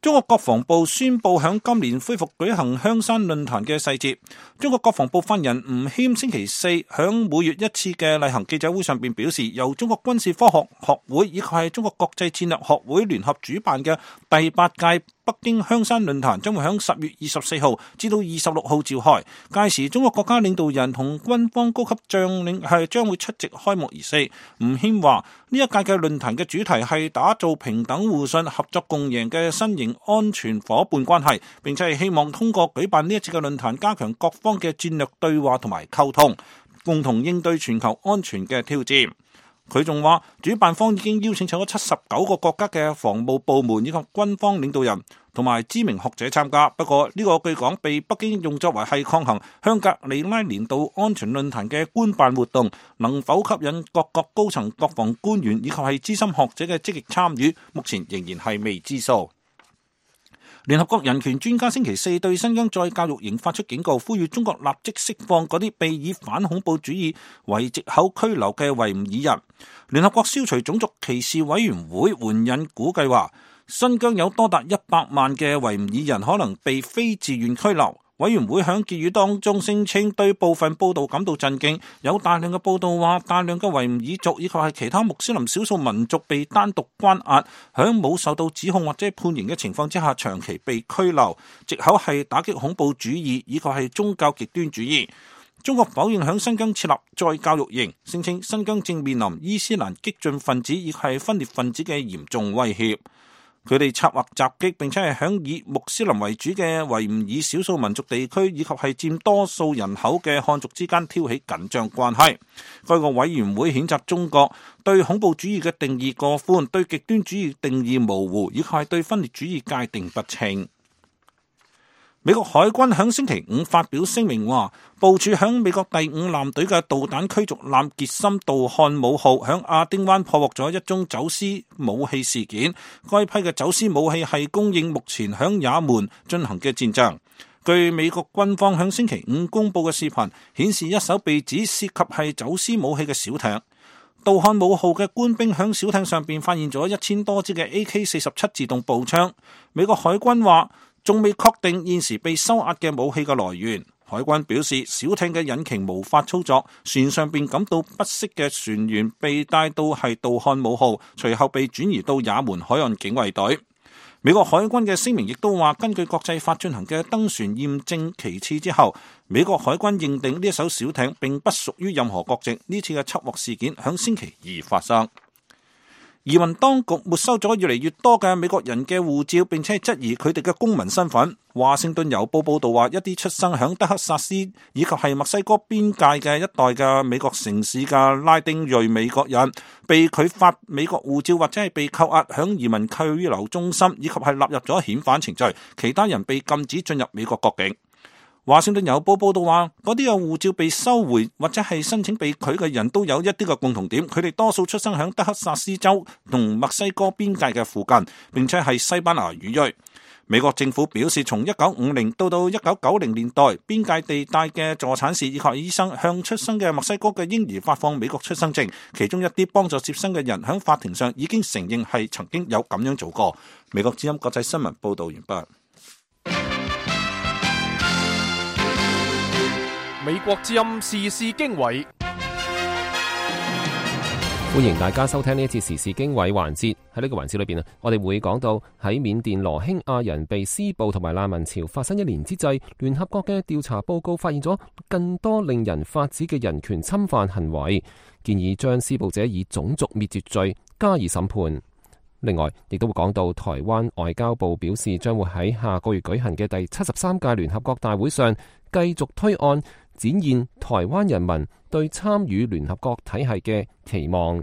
中國國防部宣布響今年恢復舉行香山論壇嘅細節。中國國防部發言人吳謙星期四響每月一次嘅例行記者會上邊表示，由中國軍事科學學會以及係中國國際戰略學會聯合主辦嘅第八屆北京香山論壇將會響十月二十四號至到二十六號召開，屆時中國國家領導人同軍方高級將領係將會出席開幕儀式。吳謙話，呢一屆嘅論壇嘅主題係打造平等互信、合作共贏嘅新型安全夥伴關係，並且係希望通過舉辦呢一次嘅論壇，加強各方嘅戰略對話同埋溝通，共同應對全球安全嘅挑戰。佢仲話，主辦方已經邀請咗七十九個國家嘅防務部門以及軍方領導人同埋知名學者參加。不過呢個據講被北京用作為係抗衡香格里拉年度安全論壇嘅官辦活動，能否吸引各國高層國防官員以及係資深學者嘅積極參與，目前仍然係未知數。聯合國人權專家星期四對新疆再教育營發出警告，呼籲中國立即釋放嗰啲被以反恐怖主義為藉口拘留嘅維吾爾人。聯合國消除種族歧視委員會援引估計話，新疆有多達一百萬嘅維吾爾人可能被非自願拘留。委員會響結語當中聲稱對部分報道感到震驚，有大量嘅報道話大量嘅維吾爾族以及係其他穆斯林少數民族被單獨關押，響冇受到指控或者判刑嘅情況之下長期被拘留，藉口係打擊恐怖主義以及係宗教極端主義。中國否認響新疆設立再教育營，聲稱新疆正面臨伊斯蘭激進分子以及係分裂分子嘅嚴重威脅。佢哋策劃襲擊，並且係響以穆斯林為主嘅維吾爾少數民族地區以及係佔多數人口嘅漢族之間挑起緊張關係。該個委員會譴責中國對恐怖主義嘅定義過寬，對極端主義定義模糊，以及係對分裂主義界定不清。美國海軍響星期五發表聲明話，部署響美國第五艦隊嘅導彈驅逐艦傑森杜漢姆號響亞丁灣破獲咗一宗走私武器事件。該批嘅走私武器係供應目前響也門進行嘅戰爭。據美國軍方響星期五公布嘅視頻顯示，一艘被指涉及係走私武器嘅小艇。杜漢姆號嘅官兵響小艇上邊發現咗一千多支嘅 A K 四十七 自動步槍。美國海軍話，仲未確定現時被收押嘅武器嘅來源。海軍表示，小艇嘅引擎無法操作，船上邊感到不適嘅船員被帶到係杜漢姆號，隨後被轉移到也門海岸警衛隊。美國海軍嘅聲明亦都話，根據國際法進行嘅登船驗證其次之後，美國海軍認定呢一艘小艇並不屬於任何國籍。呢次嘅緝獲事件響星期二發生。移民當局沒收咗越嚟越多嘅美國人嘅護照，並且質疑佢哋嘅公民身份。華盛頓郵報報道話，一啲出生響德克薩斯以及係墨西哥邊界嘅一代嘅美國城市嘅拉丁裔美國人，被拒發美國護照或者係被扣押響移民拘留中心，以及係納入咗遣返程序。其他人被禁止進入美國國境。華盛頓郵報報道話，嗰啲有護照被收回或者係申請被拒嘅人都有一啲嘅共同點，佢哋多數出生喺德克薩斯州同墨西哥邊界嘅附近，並且係西班牙語裔。美國政府表示，從一九五零到到一九九零年代，邊界地帶嘅助產士以及醫生向出生嘅墨西哥嘅嬰兒發放美國出生證，其中一啲幫助接生嘅人喺法庭上已經承認係曾經有咁樣做過。美國之音國際新聞報道完畢。美國之音時事經緯。歡迎大家收聽呢一次時事經緯環節。喺呢個環節裏邊啊，我哋會講到喺緬甸羅興亞人被施暴同埋難民潮發生一年之際，聯合國嘅調查報告發現咗更多令人髮指嘅人權侵犯行為，建議將施暴者以種族滅絕罪加以審判。另外，亦都會講到台灣外交部表示，將會喺下個月舉行嘅第七十三屆聯合國大會上繼續推案，展現台灣人民對參與聯合國體系嘅期望。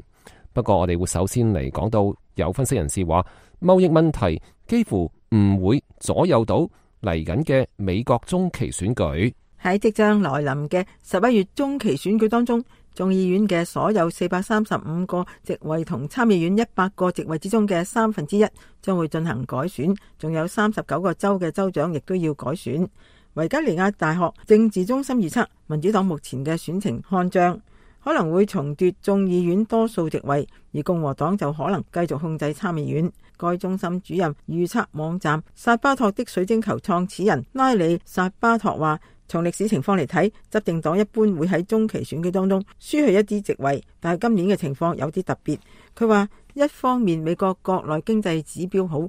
不過我哋會首先嚟講到，有分析人士話，貿易問題幾乎唔會左右到嚟緊嘅美國中期選舉。喺即將來臨嘅十一月中期選舉當中，眾議院嘅所有四百三十五個席位同參議院一百個席位之中嘅三分之一將會進行改選，仲有三十九個州嘅州長亦都要改選。維吉尼亞大學政治中心預測，民主黨目前嘅選情看漲，可能會重奪眾議院多數席位，而共和黨就可能繼續控制參議院。該中心主任預測網站薩巴托的水晶球創始人拉里薩巴托話，從歷史情況嚟睇，執政黨一般會喺中期選舉當中輸去一啲席位，但係今年嘅情況有啲特別。佢話一方面美國國內經濟指標好，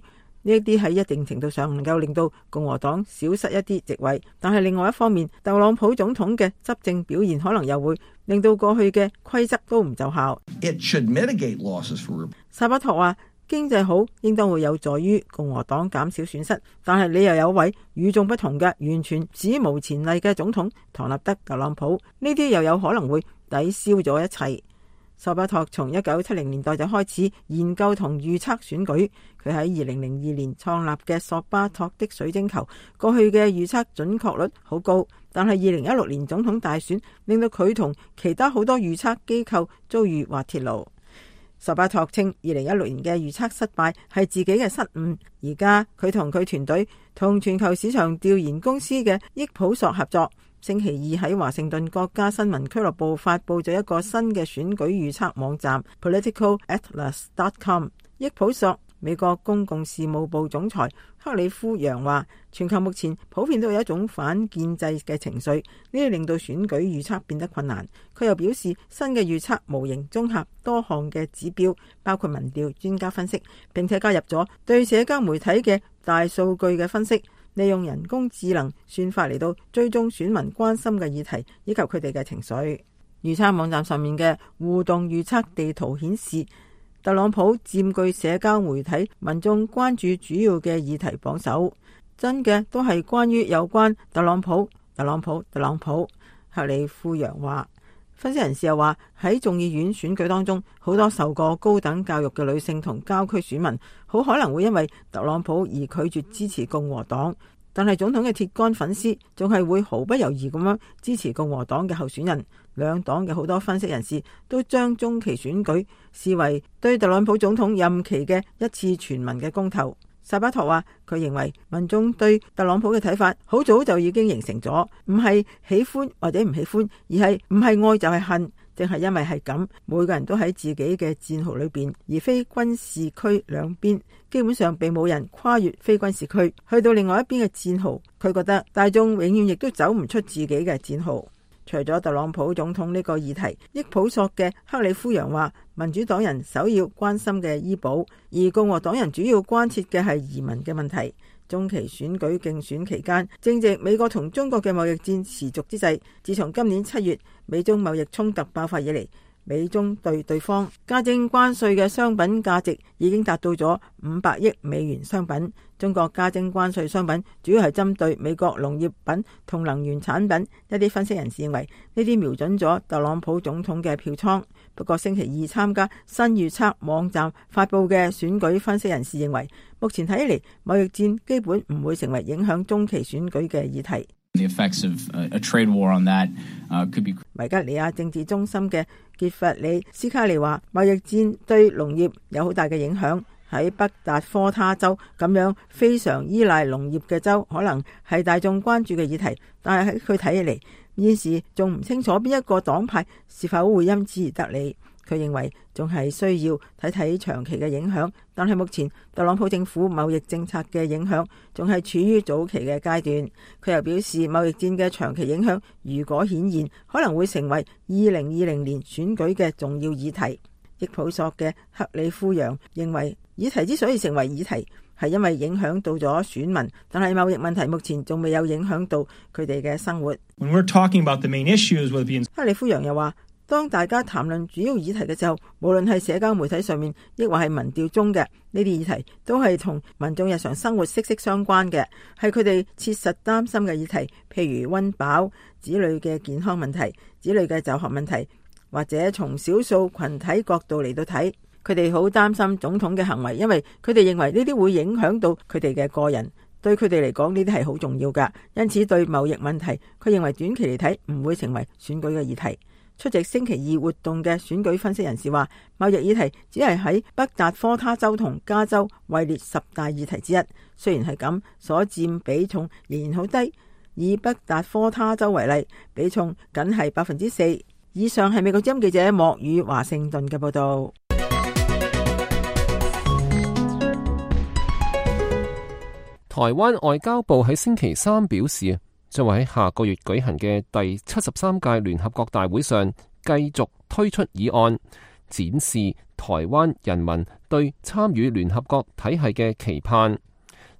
呢一啲喺一定程度上能夠令到共和黨少失一啲席位，但係另外一方面，特朗普總統嘅執政表現可能又會令到過去嘅規則都唔奏效。It should mitigate losses for... 薩巴托話經濟好應當會有助於共和黨減少損失，但係你又有位與眾不同嘅完全史無前例嘅總統唐納德特朗普，呢啲又有可能會抵消咗一切。索巴托從一九七零年代就開始研究同預測選舉，佢喺二零零二年創立嘅索巴托的水晶球，過去嘅預測準確率好高，但係二零一六年總統大選令到佢同其他好多預測機構遭遇滑鐵盧。索巴托稱二零一六年嘅預測失敗係自己嘅失誤，而家佢同佢團隊同全球市場調研公司嘅益普索合作，星期二喺華盛頓國家新聞俱樂部發佈咗一個新嘅選舉預測網站 political atlas dot com。 益普索美國公共事務部總裁克里夫楊話，全球目前普遍都有一種反建制嘅情緒，呢啲令到選舉預測變得困難。佢又表示，新嘅預測模型綜合多項嘅指標，包括民調、專家分析，並且加入咗對社交媒體嘅大數據嘅分析，利用人工智能算法嚟到追蹤選民關心嘅議題以及佢哋嘅情緒。預測網站上面嘅互動預測地圖顯示，特朗普佔據社交媒體民眾關注主要嘅議題榜首，真嘅都係關於有關特朗普、特朗普、特朗普。克里夫楊話，分析人士又話，喺眾議院選舉當中，好多受過高等教育嘅女性同郊區選民，好可能會因為特朗普而拒絕支持共和黨，但係總統嘅鐵桿粉絲仲係會毫不猶豫咁樣支持共和黨嘅候選人。兩黨嘅好多分析人士都將中期選舉視為對特朗普總統任期嘅一次全民嘅公投。薩巴托話，佢認為民眾對特朗普嘅睇法好早就已經形成咗，唔係喜歡或者唔喜歡，而係唔係愛就係恨。正係因為係咁，每個人都喺自己嘅戰壕裏邊，而非軍事區兩邊基本上並冇人跨越非軍事區去到另外一邊嘅戰壕。佢覺得大眾永遠亦都走唔出自己嘅戰壕。除咗特朗普總統呢個議題，益普索嘅克里夫楊話，民主黨人首要關心嘅醫保，而共和黨人主要關切嘅係移民嘅問題。中期選舉競選期間，正值美國同中國嘅貿易戰持續之際，自從今年七月美中貿易衝突爆發以嚟，美中對對方加徵關稅嘅商品價值已經達到咗五百億美元商品。中國加徵關稅商品主要係針對美國農業品同能源產品。一啲分析人士認為呢啲瞄準咗特朗普總統嘅票倉。不過星期二參加新預測網站發佈嘅選舉分析人士認為，目前睇嚟貿易戰基本唔會成為影響中期選舉嘅議題。The effects of a trade war on that could be。維吉尼亞政治中心嘅傑弗里斯卡利話，貿易戰對農業有好大嘅影響。喺北達科他州咁樣非常依賴農業嘅州，可能係大眾關注嘅議題，但係喺佢睇起嚟，現時仲唔清楚邊一個黨派是否會因此而得利。佢認為仲係需要睇睇長期嘅影響，但係目前特朗普政府貿易政策嘅影響仲係處於早期嘅階段。佢又表示，貿易戰嘅長期影響如果顯現，可能會成為二零二零年選舉嘅重要議題。益普索嘅克里夫揚認為，議題之所以成為議題，係因為影響到咗選民，但係貿易問題目前仲未有影響到佢哋嘅生活。When we're talking about the main issues with the... 克里夫揚又話，當大家談論主要議題嘅時候，無論係社交媒體上面，抑或係民調中嘅呢啲議題，都係同民眾日常生活息息相關嘅，係佢哋切實擔心嘅議題，譬如溫飽、子女嘅健康問題、子女嘅就學問題，或者從少數群體角度嚟到睇，佢哋好擔心總統嘅行為，因為佢哋認為呢啲會影響到佢哋嘅個人，對佢哋嚟講呢啲係好重要㗎。因此對貿易問題，佢認為短期嚟睇唔會成為選舉嘅議題。出席星期二活動嘅選舉分析人士話，貿易議題只係喺北達科他州同加州位列十大議題之一。雖然係咁，所佔比重仍然好低。以北達科他州為例，比重僅係百分之四。以上係美國之音記者莫宇華盛頓嘅報道。台灣外交部喺星期三表示，將會喺下個月舉行嘅第七十三屆聯合國大會上繼續推出議案，展示台灣人民對參與聯合國體系嘅期盼。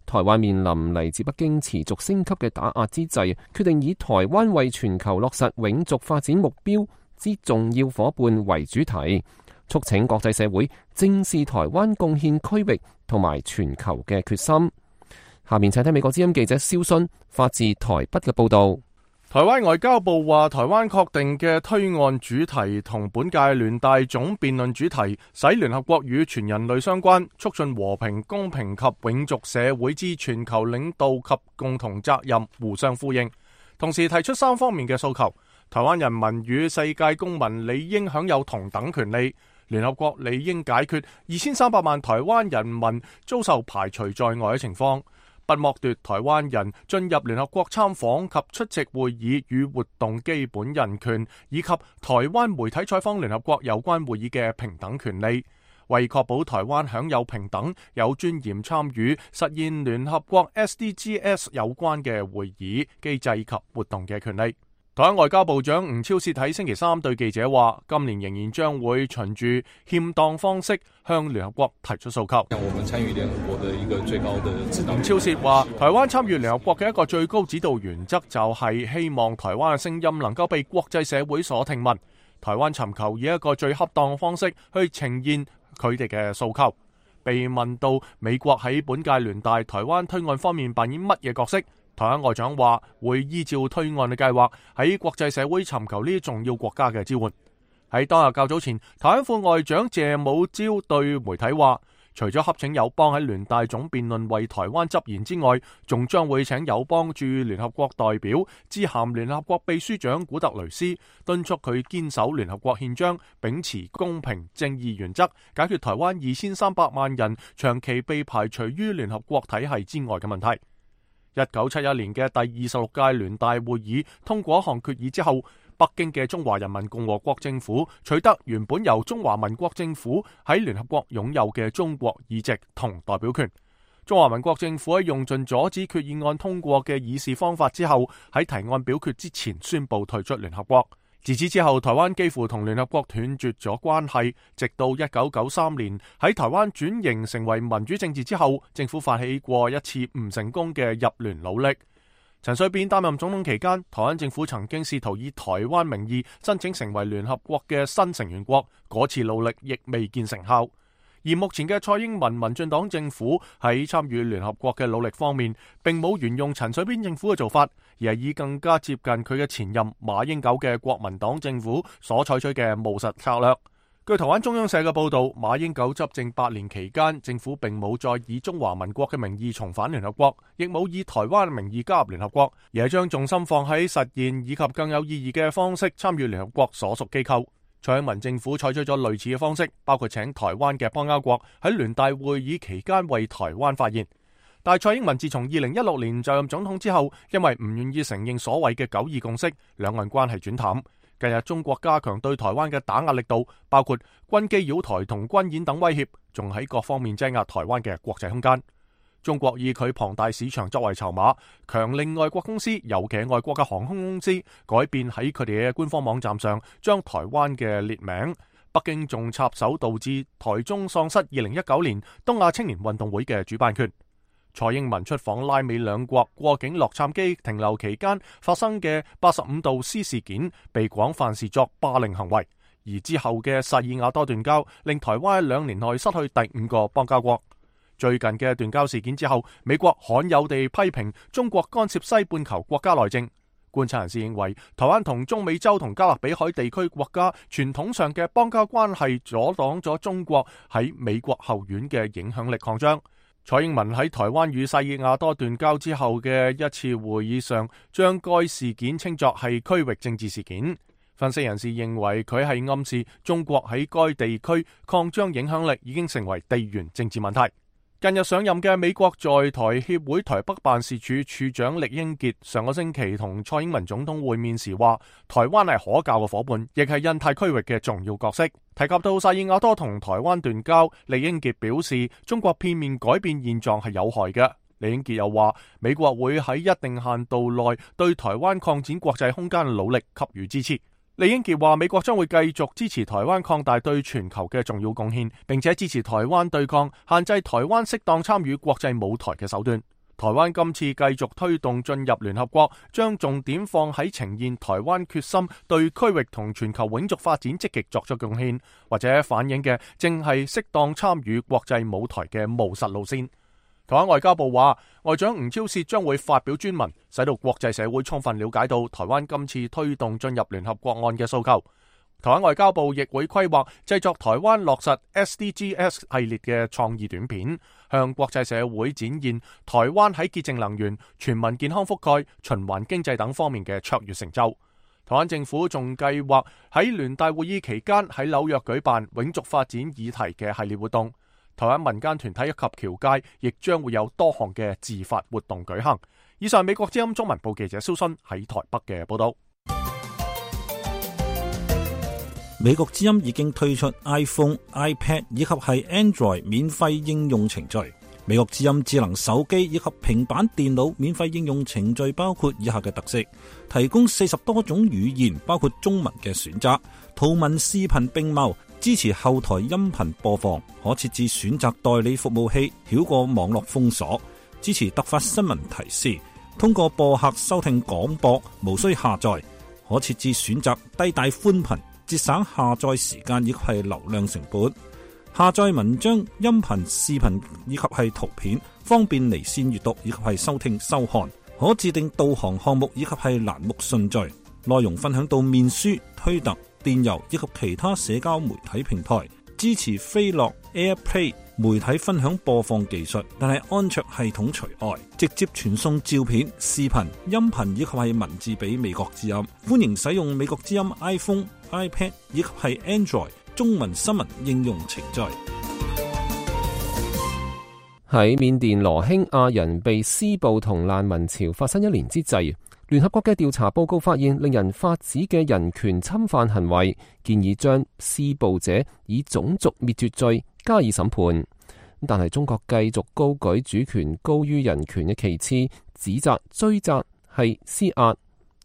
台灣面臨嚟自北京持續升級嘅打壓之際，決定以台灣為全球落實永續發展目標之重要夥伴為主題，促請國際社會正視台灣貢獻區域同埋全球嘅決心。下面請睇美國之音記者蕭迅發自台北嘅報道。台灣外交部話，台灣確定嘅推案主題同本屆聯大總辯論主題，使聯合國與全人類相關，促進和平、公平及永續社會之全球領導及共同責任互相呼應，同時提出三方面嘅訴求。台灣人民與世界公民理應享有同等權利，聯合國理應解決二千三百萬台灣人民遭受排除在外嘅情況，不剝奪台灣人進入聯合國參訪及出席會議與活動基本人權，以及台灣媒體採訪聯合國有關會議嘅平等權利，為確保台灣享有平等、有尊嚴參與實現聯合國 S D Gs 有關嘅會議機制及活動嘅權利。台灣外交部長吳釗燮喺星期三對記者話，今年仍然將會循住欠當方式向聯合國提出訴求。我們參與聯合國的一個最高的指導。吳釗燮話，台灣參與聯合國嘅一個最高指導原則就係希望台灣嘅聲音能夠被國際社會所聽聞。台灣尋求以一個最恰當方式去呈現佢哋嘅訴求。被問到美國喺本屆聯大台灣推案方面扮演乜嘢角色？台灣外長話會依照推案嘅計劃喺國際社會尋求呢啲重要國家嘅支援。喺當日較早前，台灣副外長謝武朝對媒體話，除咗洽請友邦喺聯大總辯論為台灣執言之外，仲將會請友邦駐聯合國代表致函聯合國秘書長古特雷斯，敦促佢堅守聯合國憲章，秉持公平正義原則，解決台灣二千三百萬人長期被排除於聯合國體系之外嘅問題。一九七一年嘅第二十六屆聯大會議通過一項決議之後，北京嘅中華人民共和國政府取得原本由中華民國政府喺聯合國擁有嘅中國議席同代表權。中華民國政府喺用盡阻止決議案通過嘅議事方法之後，喺提案表決之前宣布退出聯合國。自此之後，台灣幾乎同聯合國斷絕咗關係，直到一九九三年喺台灣轉型成為民主政治之後，政府發起過一次唔成功嘅入聯努力。陳水扁擔任總統期間，台灣政府曾經試圖以台灣名義申請成為聯合國嘅新成員國，嗰次努力亦未見成效。而目前嘅蔡英文民進黨政府喺參與聯合國嘅努力方面，並冇沿用陳水扁政府嘅做法，而係以更加接近佢嘅前任馬英九嘅國民黨政府所採取嘅務實策略。據台灣中央社嘅報導，馬英九執政八年期間，政府並冇再以中華民國嘅名義重返聯合國，亦冇以台灣嘅名義加入聯合國，而係將重心放喺實現以及更有意義嘅方式參與聯合國所屬機構。蔡英文政府採取咗類似嘅方式，包括請台灣嘅邦交國喺聯大會議期間為台灣發言。但蔡英文自從二零一六年就任總統之後，因為唔願意承認所謂嘅九二共識，兩岸關係轉淡。近日中國加強對台灣嘅打壓力度，包括軍機擾台同軍演等威脅，仲喺各方面擠壓台灣嘅國際空間。中國以佢龐大市場作為籌碼，強令外國公司，尤其係外國嘅航空公司，改變喺佢哋嘅官方網站上將台灣嘅列名。北京仲插手導致台中喪失二零一九年東亞青年運動會嘅主辦權。蔡英文出訪拉美兩國過境洛杉磯停留期間發生嘅八十五度 C 事件，被廣泛視作霸凌行為。而之後嘅薩爾瓦多斷交，令台灣喺兩年內失去第五個邦交國。最近嘅斷交事件之後，美國罕有地批評中國干涉西半球國家內政。觀察人士認為，台灣同中美洲同加勒比海地區國家傳統上嘅邦交關係，阻擋咗中國喺美國後院嘅影響力擴張。蔡英文喺台灣與薩爾瓦多斷交之後嘅一次會議上，將該事件稱作係區域政治事件。分析人士認為，佢係暗示中國喺該地區擴張影響力已經成為地緣政治問題。近日上任嘅美國在台協會台北辦事處處長酈英傑上個星期同蔡英文總統會面時話，台灣係可靠嘅夥伴，亦係印太區域嘅重要角色。提及到薩爾瓦多同台灣斷交，酈英傑表示中國片面改變現狀係有害嘅。酈英傑又話，美國會喺一定限度內對台灣擴展國際空間嘅努力給予支持。酈英傑話，美國將會繼續支持台灣擴大對全球嘅重要貢獻，並且支持台灣對抗限制台灣適當參與國際舞台嘅手段。台灣今次繼續推動進入聯合國，將重點放喺呈現台灣決心對區域同全球永續發展積極作出貢獻，或者反映嘅正係適當參與國際舞台嘅務實路線。台灣外交部話，外長吳釗燮將會發表專文，使到國際社會充分了解到台灣今次推動進入聯合國案嘅訴求。台灣外交部亦會規劃製作台灣落實 S D Gs 系列嘅創意短片，向國際社會展現台灣喺潔淨能源、全民健康覆蓋、循環經濟等方面嘅卓越成就。台灣政府仲計劃喺聯大會議期間喺紐約舉辦永續發展議題嘅系列活動。台灣民間團體以及僑界亦將會有多項嘅自發活動舉行。以上美國之音中文部記者蕭新喺台北嘅報道。美國之音已經推出 iPhone、iPad 以及係 Android 免費應用程序。美國之音智能手機以及平板電腦免費應用程序包括以下嘅特色：提供四十多種語言，包括中文嘅選擇，圖文視頻並茂，支持後台音頻播放，可設置選擇代理服務器，繞過網絡封鎖，支持突發新聞提示，通過播客收聽廣播，無需下載，可設置選擇低帶寬頻，節省下載時間以及係流量成本。下載文章、音頻、視頻以及係圖片，方便離線閱讀以及係收聽收看。可自定導航項目以及係欄目順序。內容分享到面書、推特、電郵以及其他社交媒體平台。支持飛樂 AirPlay 媒體分享播放技術，但係安卓系統除外。直接傳送照片、視頻、音頻以及係文字俾美國之音。歡迎使用美國之音 iPhone、iPad 以及係 Android中文新聞應用程序。喺緬甸羅興亞人被施暴同難民潮發生一年之際，聯合國嘅調查報告發現令人髮指嘅人權侵犯行為，建議將施暴者以種族滅絕罪加以審判。但係中國繼續高舉主權高於人權嘅旗幟，指責追責係施壓。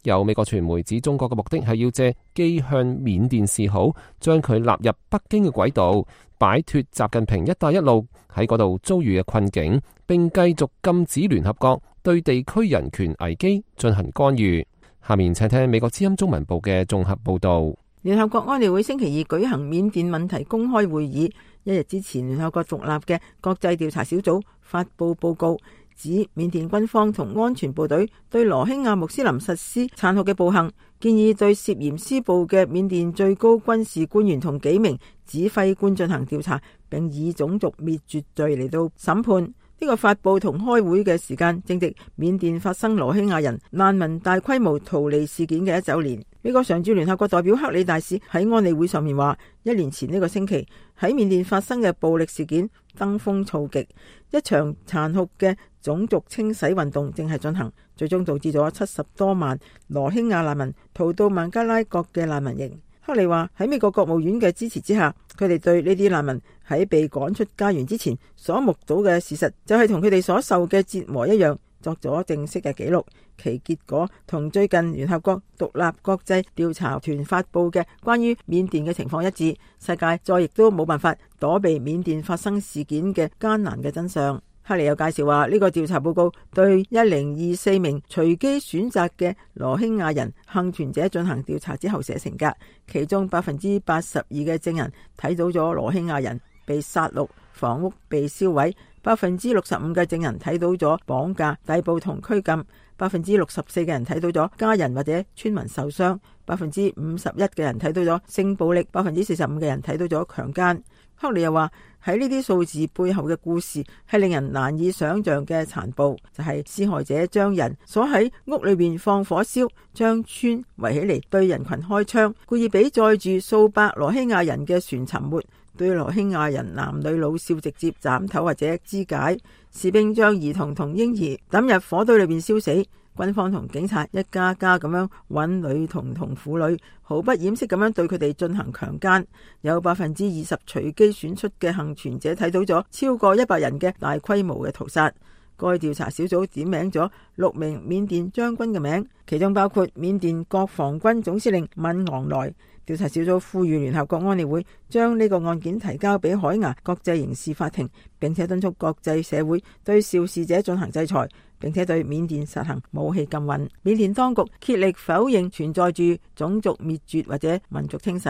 有美國傳媒指中國嘅目的係要借機向緬甸示好，將佢納入北京嘅軌道，擺脫習近平一帶一路喺嗰度遭遇嘅困境，並繼續禁止聯合國對地區人權危機進行干預。下面請聽美國之音中文部嘅綜合報道。聯合國安理會星期二舉行緬甸問題公開會議，一日之前，聯合國獨立嘅國際調查小組發佈報告，指緬甸軍方同安全部隊對羅興亞穆斯林實施殘酷嘅暴行，建議對涉嫌施暴嘅緬甸最高軍事官員同幾名指揮官進行調查，並以種族滅絕罪嚟到審判。呢個發佈同開會嘅時間正值緬甸發生羅興亞人難民大規模逃離事件嘅一週年。美國常駐聯合國代表克里大使喺安理會上面話，一年前呢個星期喺緬甸發生嘅暴力事件登峰造極，一場殘酷嘅種族清洗運動正係進行，最終導致咗七十多萬羅興亞難民逃到孟加拉國嘅難民營。克里話喺美國國務院嘅支持之下，佢哋對呢啲難民喺被趕出家園之前所目睹嘅事實，就係同佢哋所受嘅折磨一樣，作咗正式嘅記錄。其結果同最近聯合國獨立國際調查團發佈嘅關於緬甸嘅情況一致，世界再亦都冇辦法躲避緬甸發生事件嘅艱難嘅真相。克里有介紹話，呢個調查報告對一零二四名隨機選擇嘅羅興亞人幸存者進行調查之後寫成㗎，其中百分之八十二嘅證人睇到咗羅興亞人被殺戮、房屋被燒毀，百分之六十五嘅證人睇到咗綁架、逮捕同拘禁，百分之六十四嘅人睇到咗家人或者村民受傷，百分之五十一嘅人睇到咗性暴力，百分之四十五嘅人睇到咗強姦。克里又話，喺呢啲數字背後嘅故事係令人難以想象嘅殘暴，就係施害者將人鎖喺屋裏邊放火燒，將村圍起嚟對人群開槍，故意俾載住數百羅興亞人嘅船沉沒，對羅興亞人男女老少直接斬頭或者肢解，士兵將兒童同嬰兒抌入火堆裏邊燒死。軍方同警察一家家咁樣揾女童同婦女，毫不掩飾咁樣對佢哋進行強姦。有百分之二十隨機選出嘅幸存者睇到咗超過一百人嘅大規模嘅屠殺。該調查小組點名咗六名緬甸將軍嘅名，其中包括緬甸國防軍總司令敏昂萊。調查小組呼籲聯合國安理會將呢個案件提交俾海牙國際刑事法庭，並且敦促國際社會對肇事者進行制裁，並且對緬甸實行武器禁運。緬甸當局竭力否認存在住種族滅絕或者民族清洗，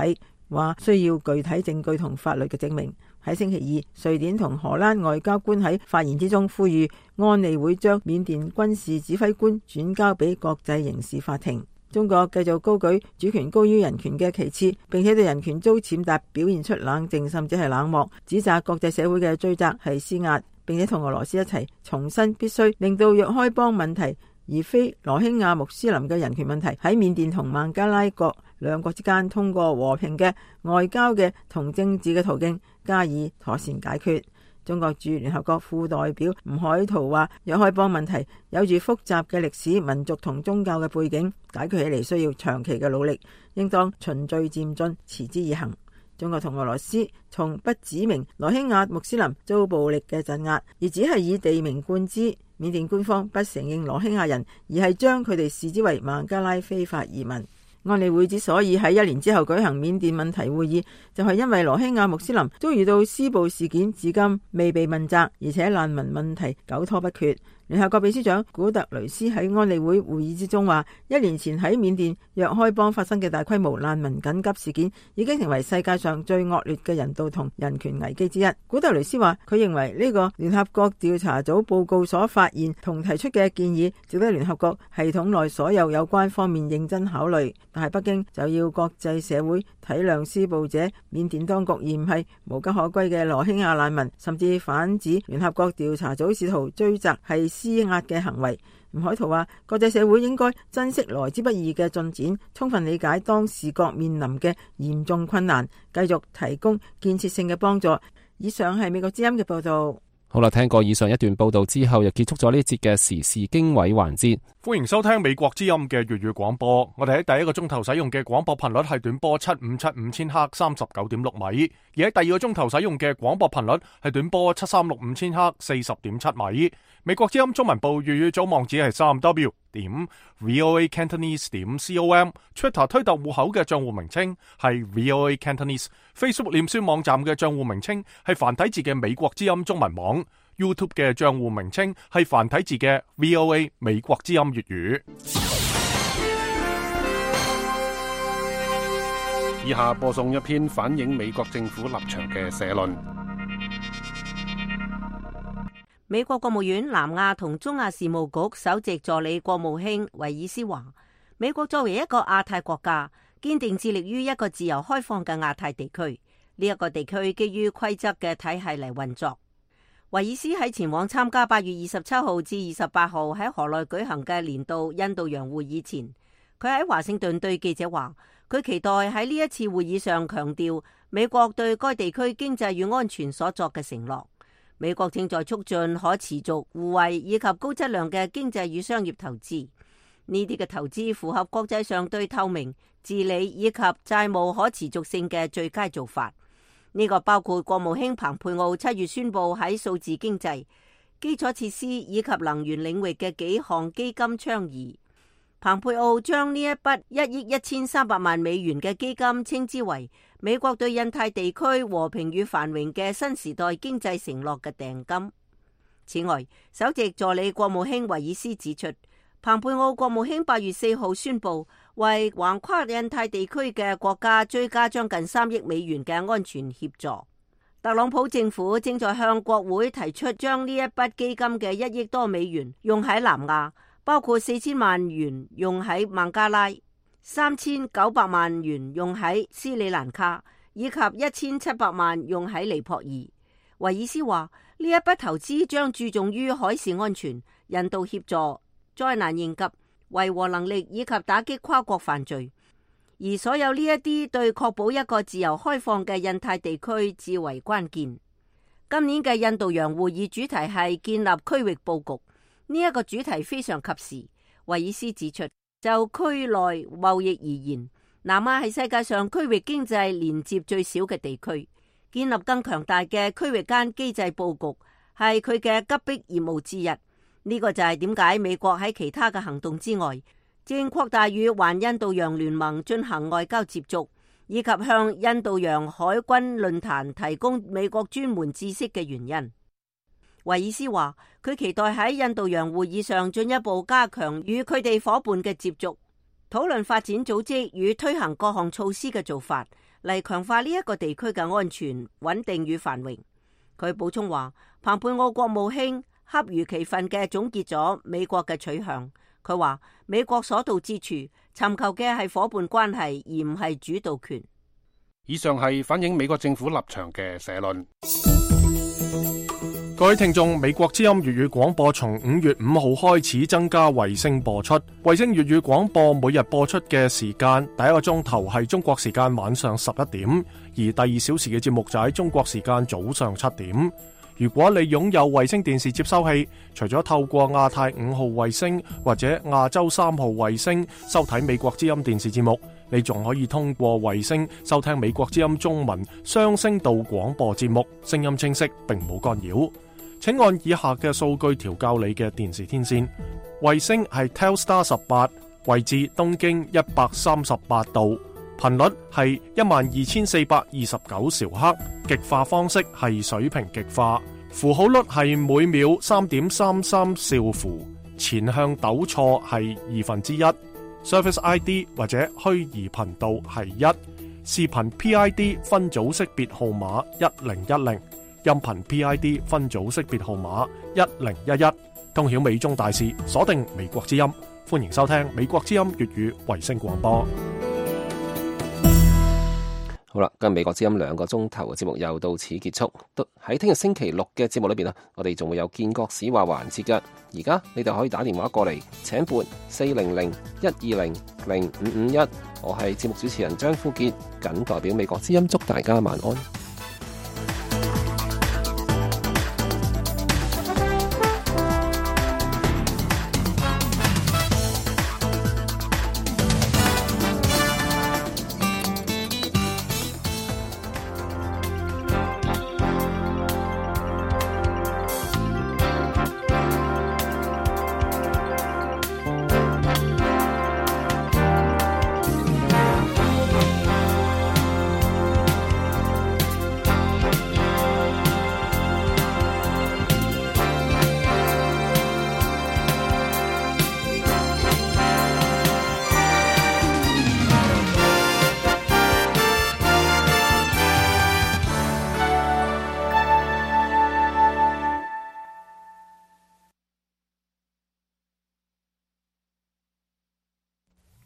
話需要具體證據同法律嘅證明。喺星期二，瑞典同荷蘭外交官喺發言之中呼籲安理會將緬甸軍事指揮官轉交俾國際刑事法庭。中國繼續高舉主權高於人權嘅旗幟，並且對人權遭踐踏表現出冷靜甚至係冷漠，指責國際社會嘅追責係施壓，並且同俄羅斯一齊重申必須令到若開邦問題而非羅興亞穆斯林嘅人權問題喺緬甸同孟加拉國兩國之間通過和平嘅外交嘅同政治嘅途徑加以妥善解決。中國駐聯合國副代表吳海濤話，若開邦問題有住複雜嘅歷史、民族同宗教嘅背景，解決起嚟需要長期嘅努力，應當循序漸進，持之以恆。中國同俄羅斯從不指明羅興亞穆斯林遭暴力嘅鎮壓，而只係以地名冠之。緬甸官方不承認羅興亞人，而係將佢哋視之為孟加拉非法移民。安理會之所以喺一年之後舉行緬甸問題會議，就係因為羅興亞穆斯林遭遇到施暴事件，至今未被問責，而且難民問題久拖不決。聯合國秘書長古特雷斯喺安理會會議之中話，一年前喺緬甸若開邦發生嘅大規模難民緊急事件，已經成為世界上最惡劣嘅人道同人權危機之一。古特雷斯話，佢認為呢個聯合國調查組報告所發現同提出嘅建議，值得聯合國系統內所有有關方面認真考慮。但係北京就要國際社會體諒施暴者緬甸當局，而唔係無家可歸嘅羅興亞難民，甚至反指聯合國調查組試圖追責係施壓嘅行為。吳海濤話，國際社會應該珍惜來之不易嘅進展，充分理解當事國面臨嘅嚴重困難，繼續提供建設性嘅幫助。以上係美國之音嘅報道。好啦，聽過以上一段報道之後，又結束咗呢一節嘅時事經緯環節。歡迎收聽美國之音嘅粵語廣播。我哋喺第一個鐘頭使用嘅廣播頻率係短波七五七五千赫三十九點六米，而喺第二個鐘頭使用嘅廣播頻率係短波七三六五千赫四十點七米。美國之音中文部粵語組網址係三 w 點 voa cantonese 點 com，Twitter 推特戶口嘅賬戶名稱係 voa cantonese，Facebook 臉書網站嘅賬戶名稱係繁體字嘅美國之音中文網，YouTube 嘅賬戶名稱係繁體字嘅 V O A 美國之音粵語。以下播送一篇反映美國政府立場嘅社論。美國國務院南亞同中亞事務局首席助理國務卿維爾斯話，美國作為一個亞太國家，堅定致力於一個自由開放嘅亞太地區。呢、這、一個地區基於規則嘅體系嚟運作。維爾斯喺前往參加八月二十七號至二十八號喺河內舉行嘅年度印度洋會議前，佢喺華盛頓對記者話，佢期待喺呢一次會議上強調美國對該地區經濟與安全所作嘅承諾。美國正在促進可持續、互惠以及高質量嘅經濟與商業投資。呢啲嘅投資符合國際上對透明、治理以及債務可持續性嘅最佳做法。呢、這個包括國務卿蓬佩奧七月宣布喺數字經濟、基礎設施以及能源領域嘅幾項基金倡議。蓬佩奧將呢一筆一億一千三百萬美元嘅基金稱之為美國對印太地區和平與繁榮嘅新時代經濟承諾嘅訂金。此外，首席助理國務卿維爾斯指出，蓬佩奧國務卿八月四號宣布為橫跨印太地區嘅國家追加將近三億美元嘅安全協助。特朗普政府正在向國會提出將呢一筆基金嘅一億多美元用喺南亞，包括四千萬元用喺孟加拉、三千九百萬元用喺斯里蘭卡，以及一千七百萬用喺尼泊爾。維爾斯話，呢一筆投資將注重於海事安全、人道協助、災難應急、維和能力以及打擊跨國犯罪。而所有呢一啲對確保一個自由開放嘅印太地區至為關鍵。今年嘅印度洋會議主題係建立區域佈局。呢一個主題非常及時。維爾斯指出，就區內貿易而言，南亞係世界上區域經濟連接最少嘅地區，建立更強大嘅區域間機制佈局係佢嘅急迫業務之一。呢、這個就係點解美國喺其他嘅行動之外，正擴大與環印度洋聯盟進行外交接觸，以及向印度洋海軍論壇提供美國專門知識嘅原因。維爾斯話，佢期待喺印度洋會議上進一步加強與佢哋夥伴嘅接觸，討論發展組織與推行各項措施嘅做法，嚟強化呢一個地區嘅安全、穩定與繁榮。佢補充話，蓬佩奧國務卿恰如其分嘅總結咗美國嘅取向。佢話，美國所到之處尋求嘅係夥伴關係，而唔係主導權。以上係反映美國政府立場嘅社論。各位聽眾，美國之音粵語廣播從五月五號開始增加衛星播出。衛星粵語廣播每日播出嘅時間，第一個鐘頭係中國時間晚上十一點，而第二小時嘅節目就喺中國時間早上七點。如果你擁有衛星電視接收器，除咗透過亞太五號衛星或者亞洲三號衛星收睇美國之音電視節目，你仲可以通過衛星收聽美國之音中文雙聲道廣播節目，聲音清晰並冇干擾。請按以下嘅數據調校你嘅電視天線。衛星係 Telstar 十八，位置東經一百三十八度，頻率係一萬二千四百二十九兆赫，極化方式係水平極化，符號率係每秒三點三三兆符，前向抖錯係二分之一，Service I D 或者虛擬頻道係一，視頻 P I D 分組識別號碼一零一零。音頻 P I D 分組識別號碼一零一一，通曉美中大事，鎖定美國之音，歡迎收聽美國之音粵語衛星廣播。好啦，今日美國之音兩個鐘頭嘅節目又到此結束。喺聽日星期六嘅節目裏邊啊，我哋仲會有建國史話環節嘅。而家你哋可以打電話過嚟，請撥四零零一二零零五五一。我係節目主持人張富杰，謹代表美國之音祝大家晚安。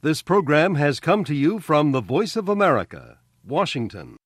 This program has come to you from the Voice of America, Washington.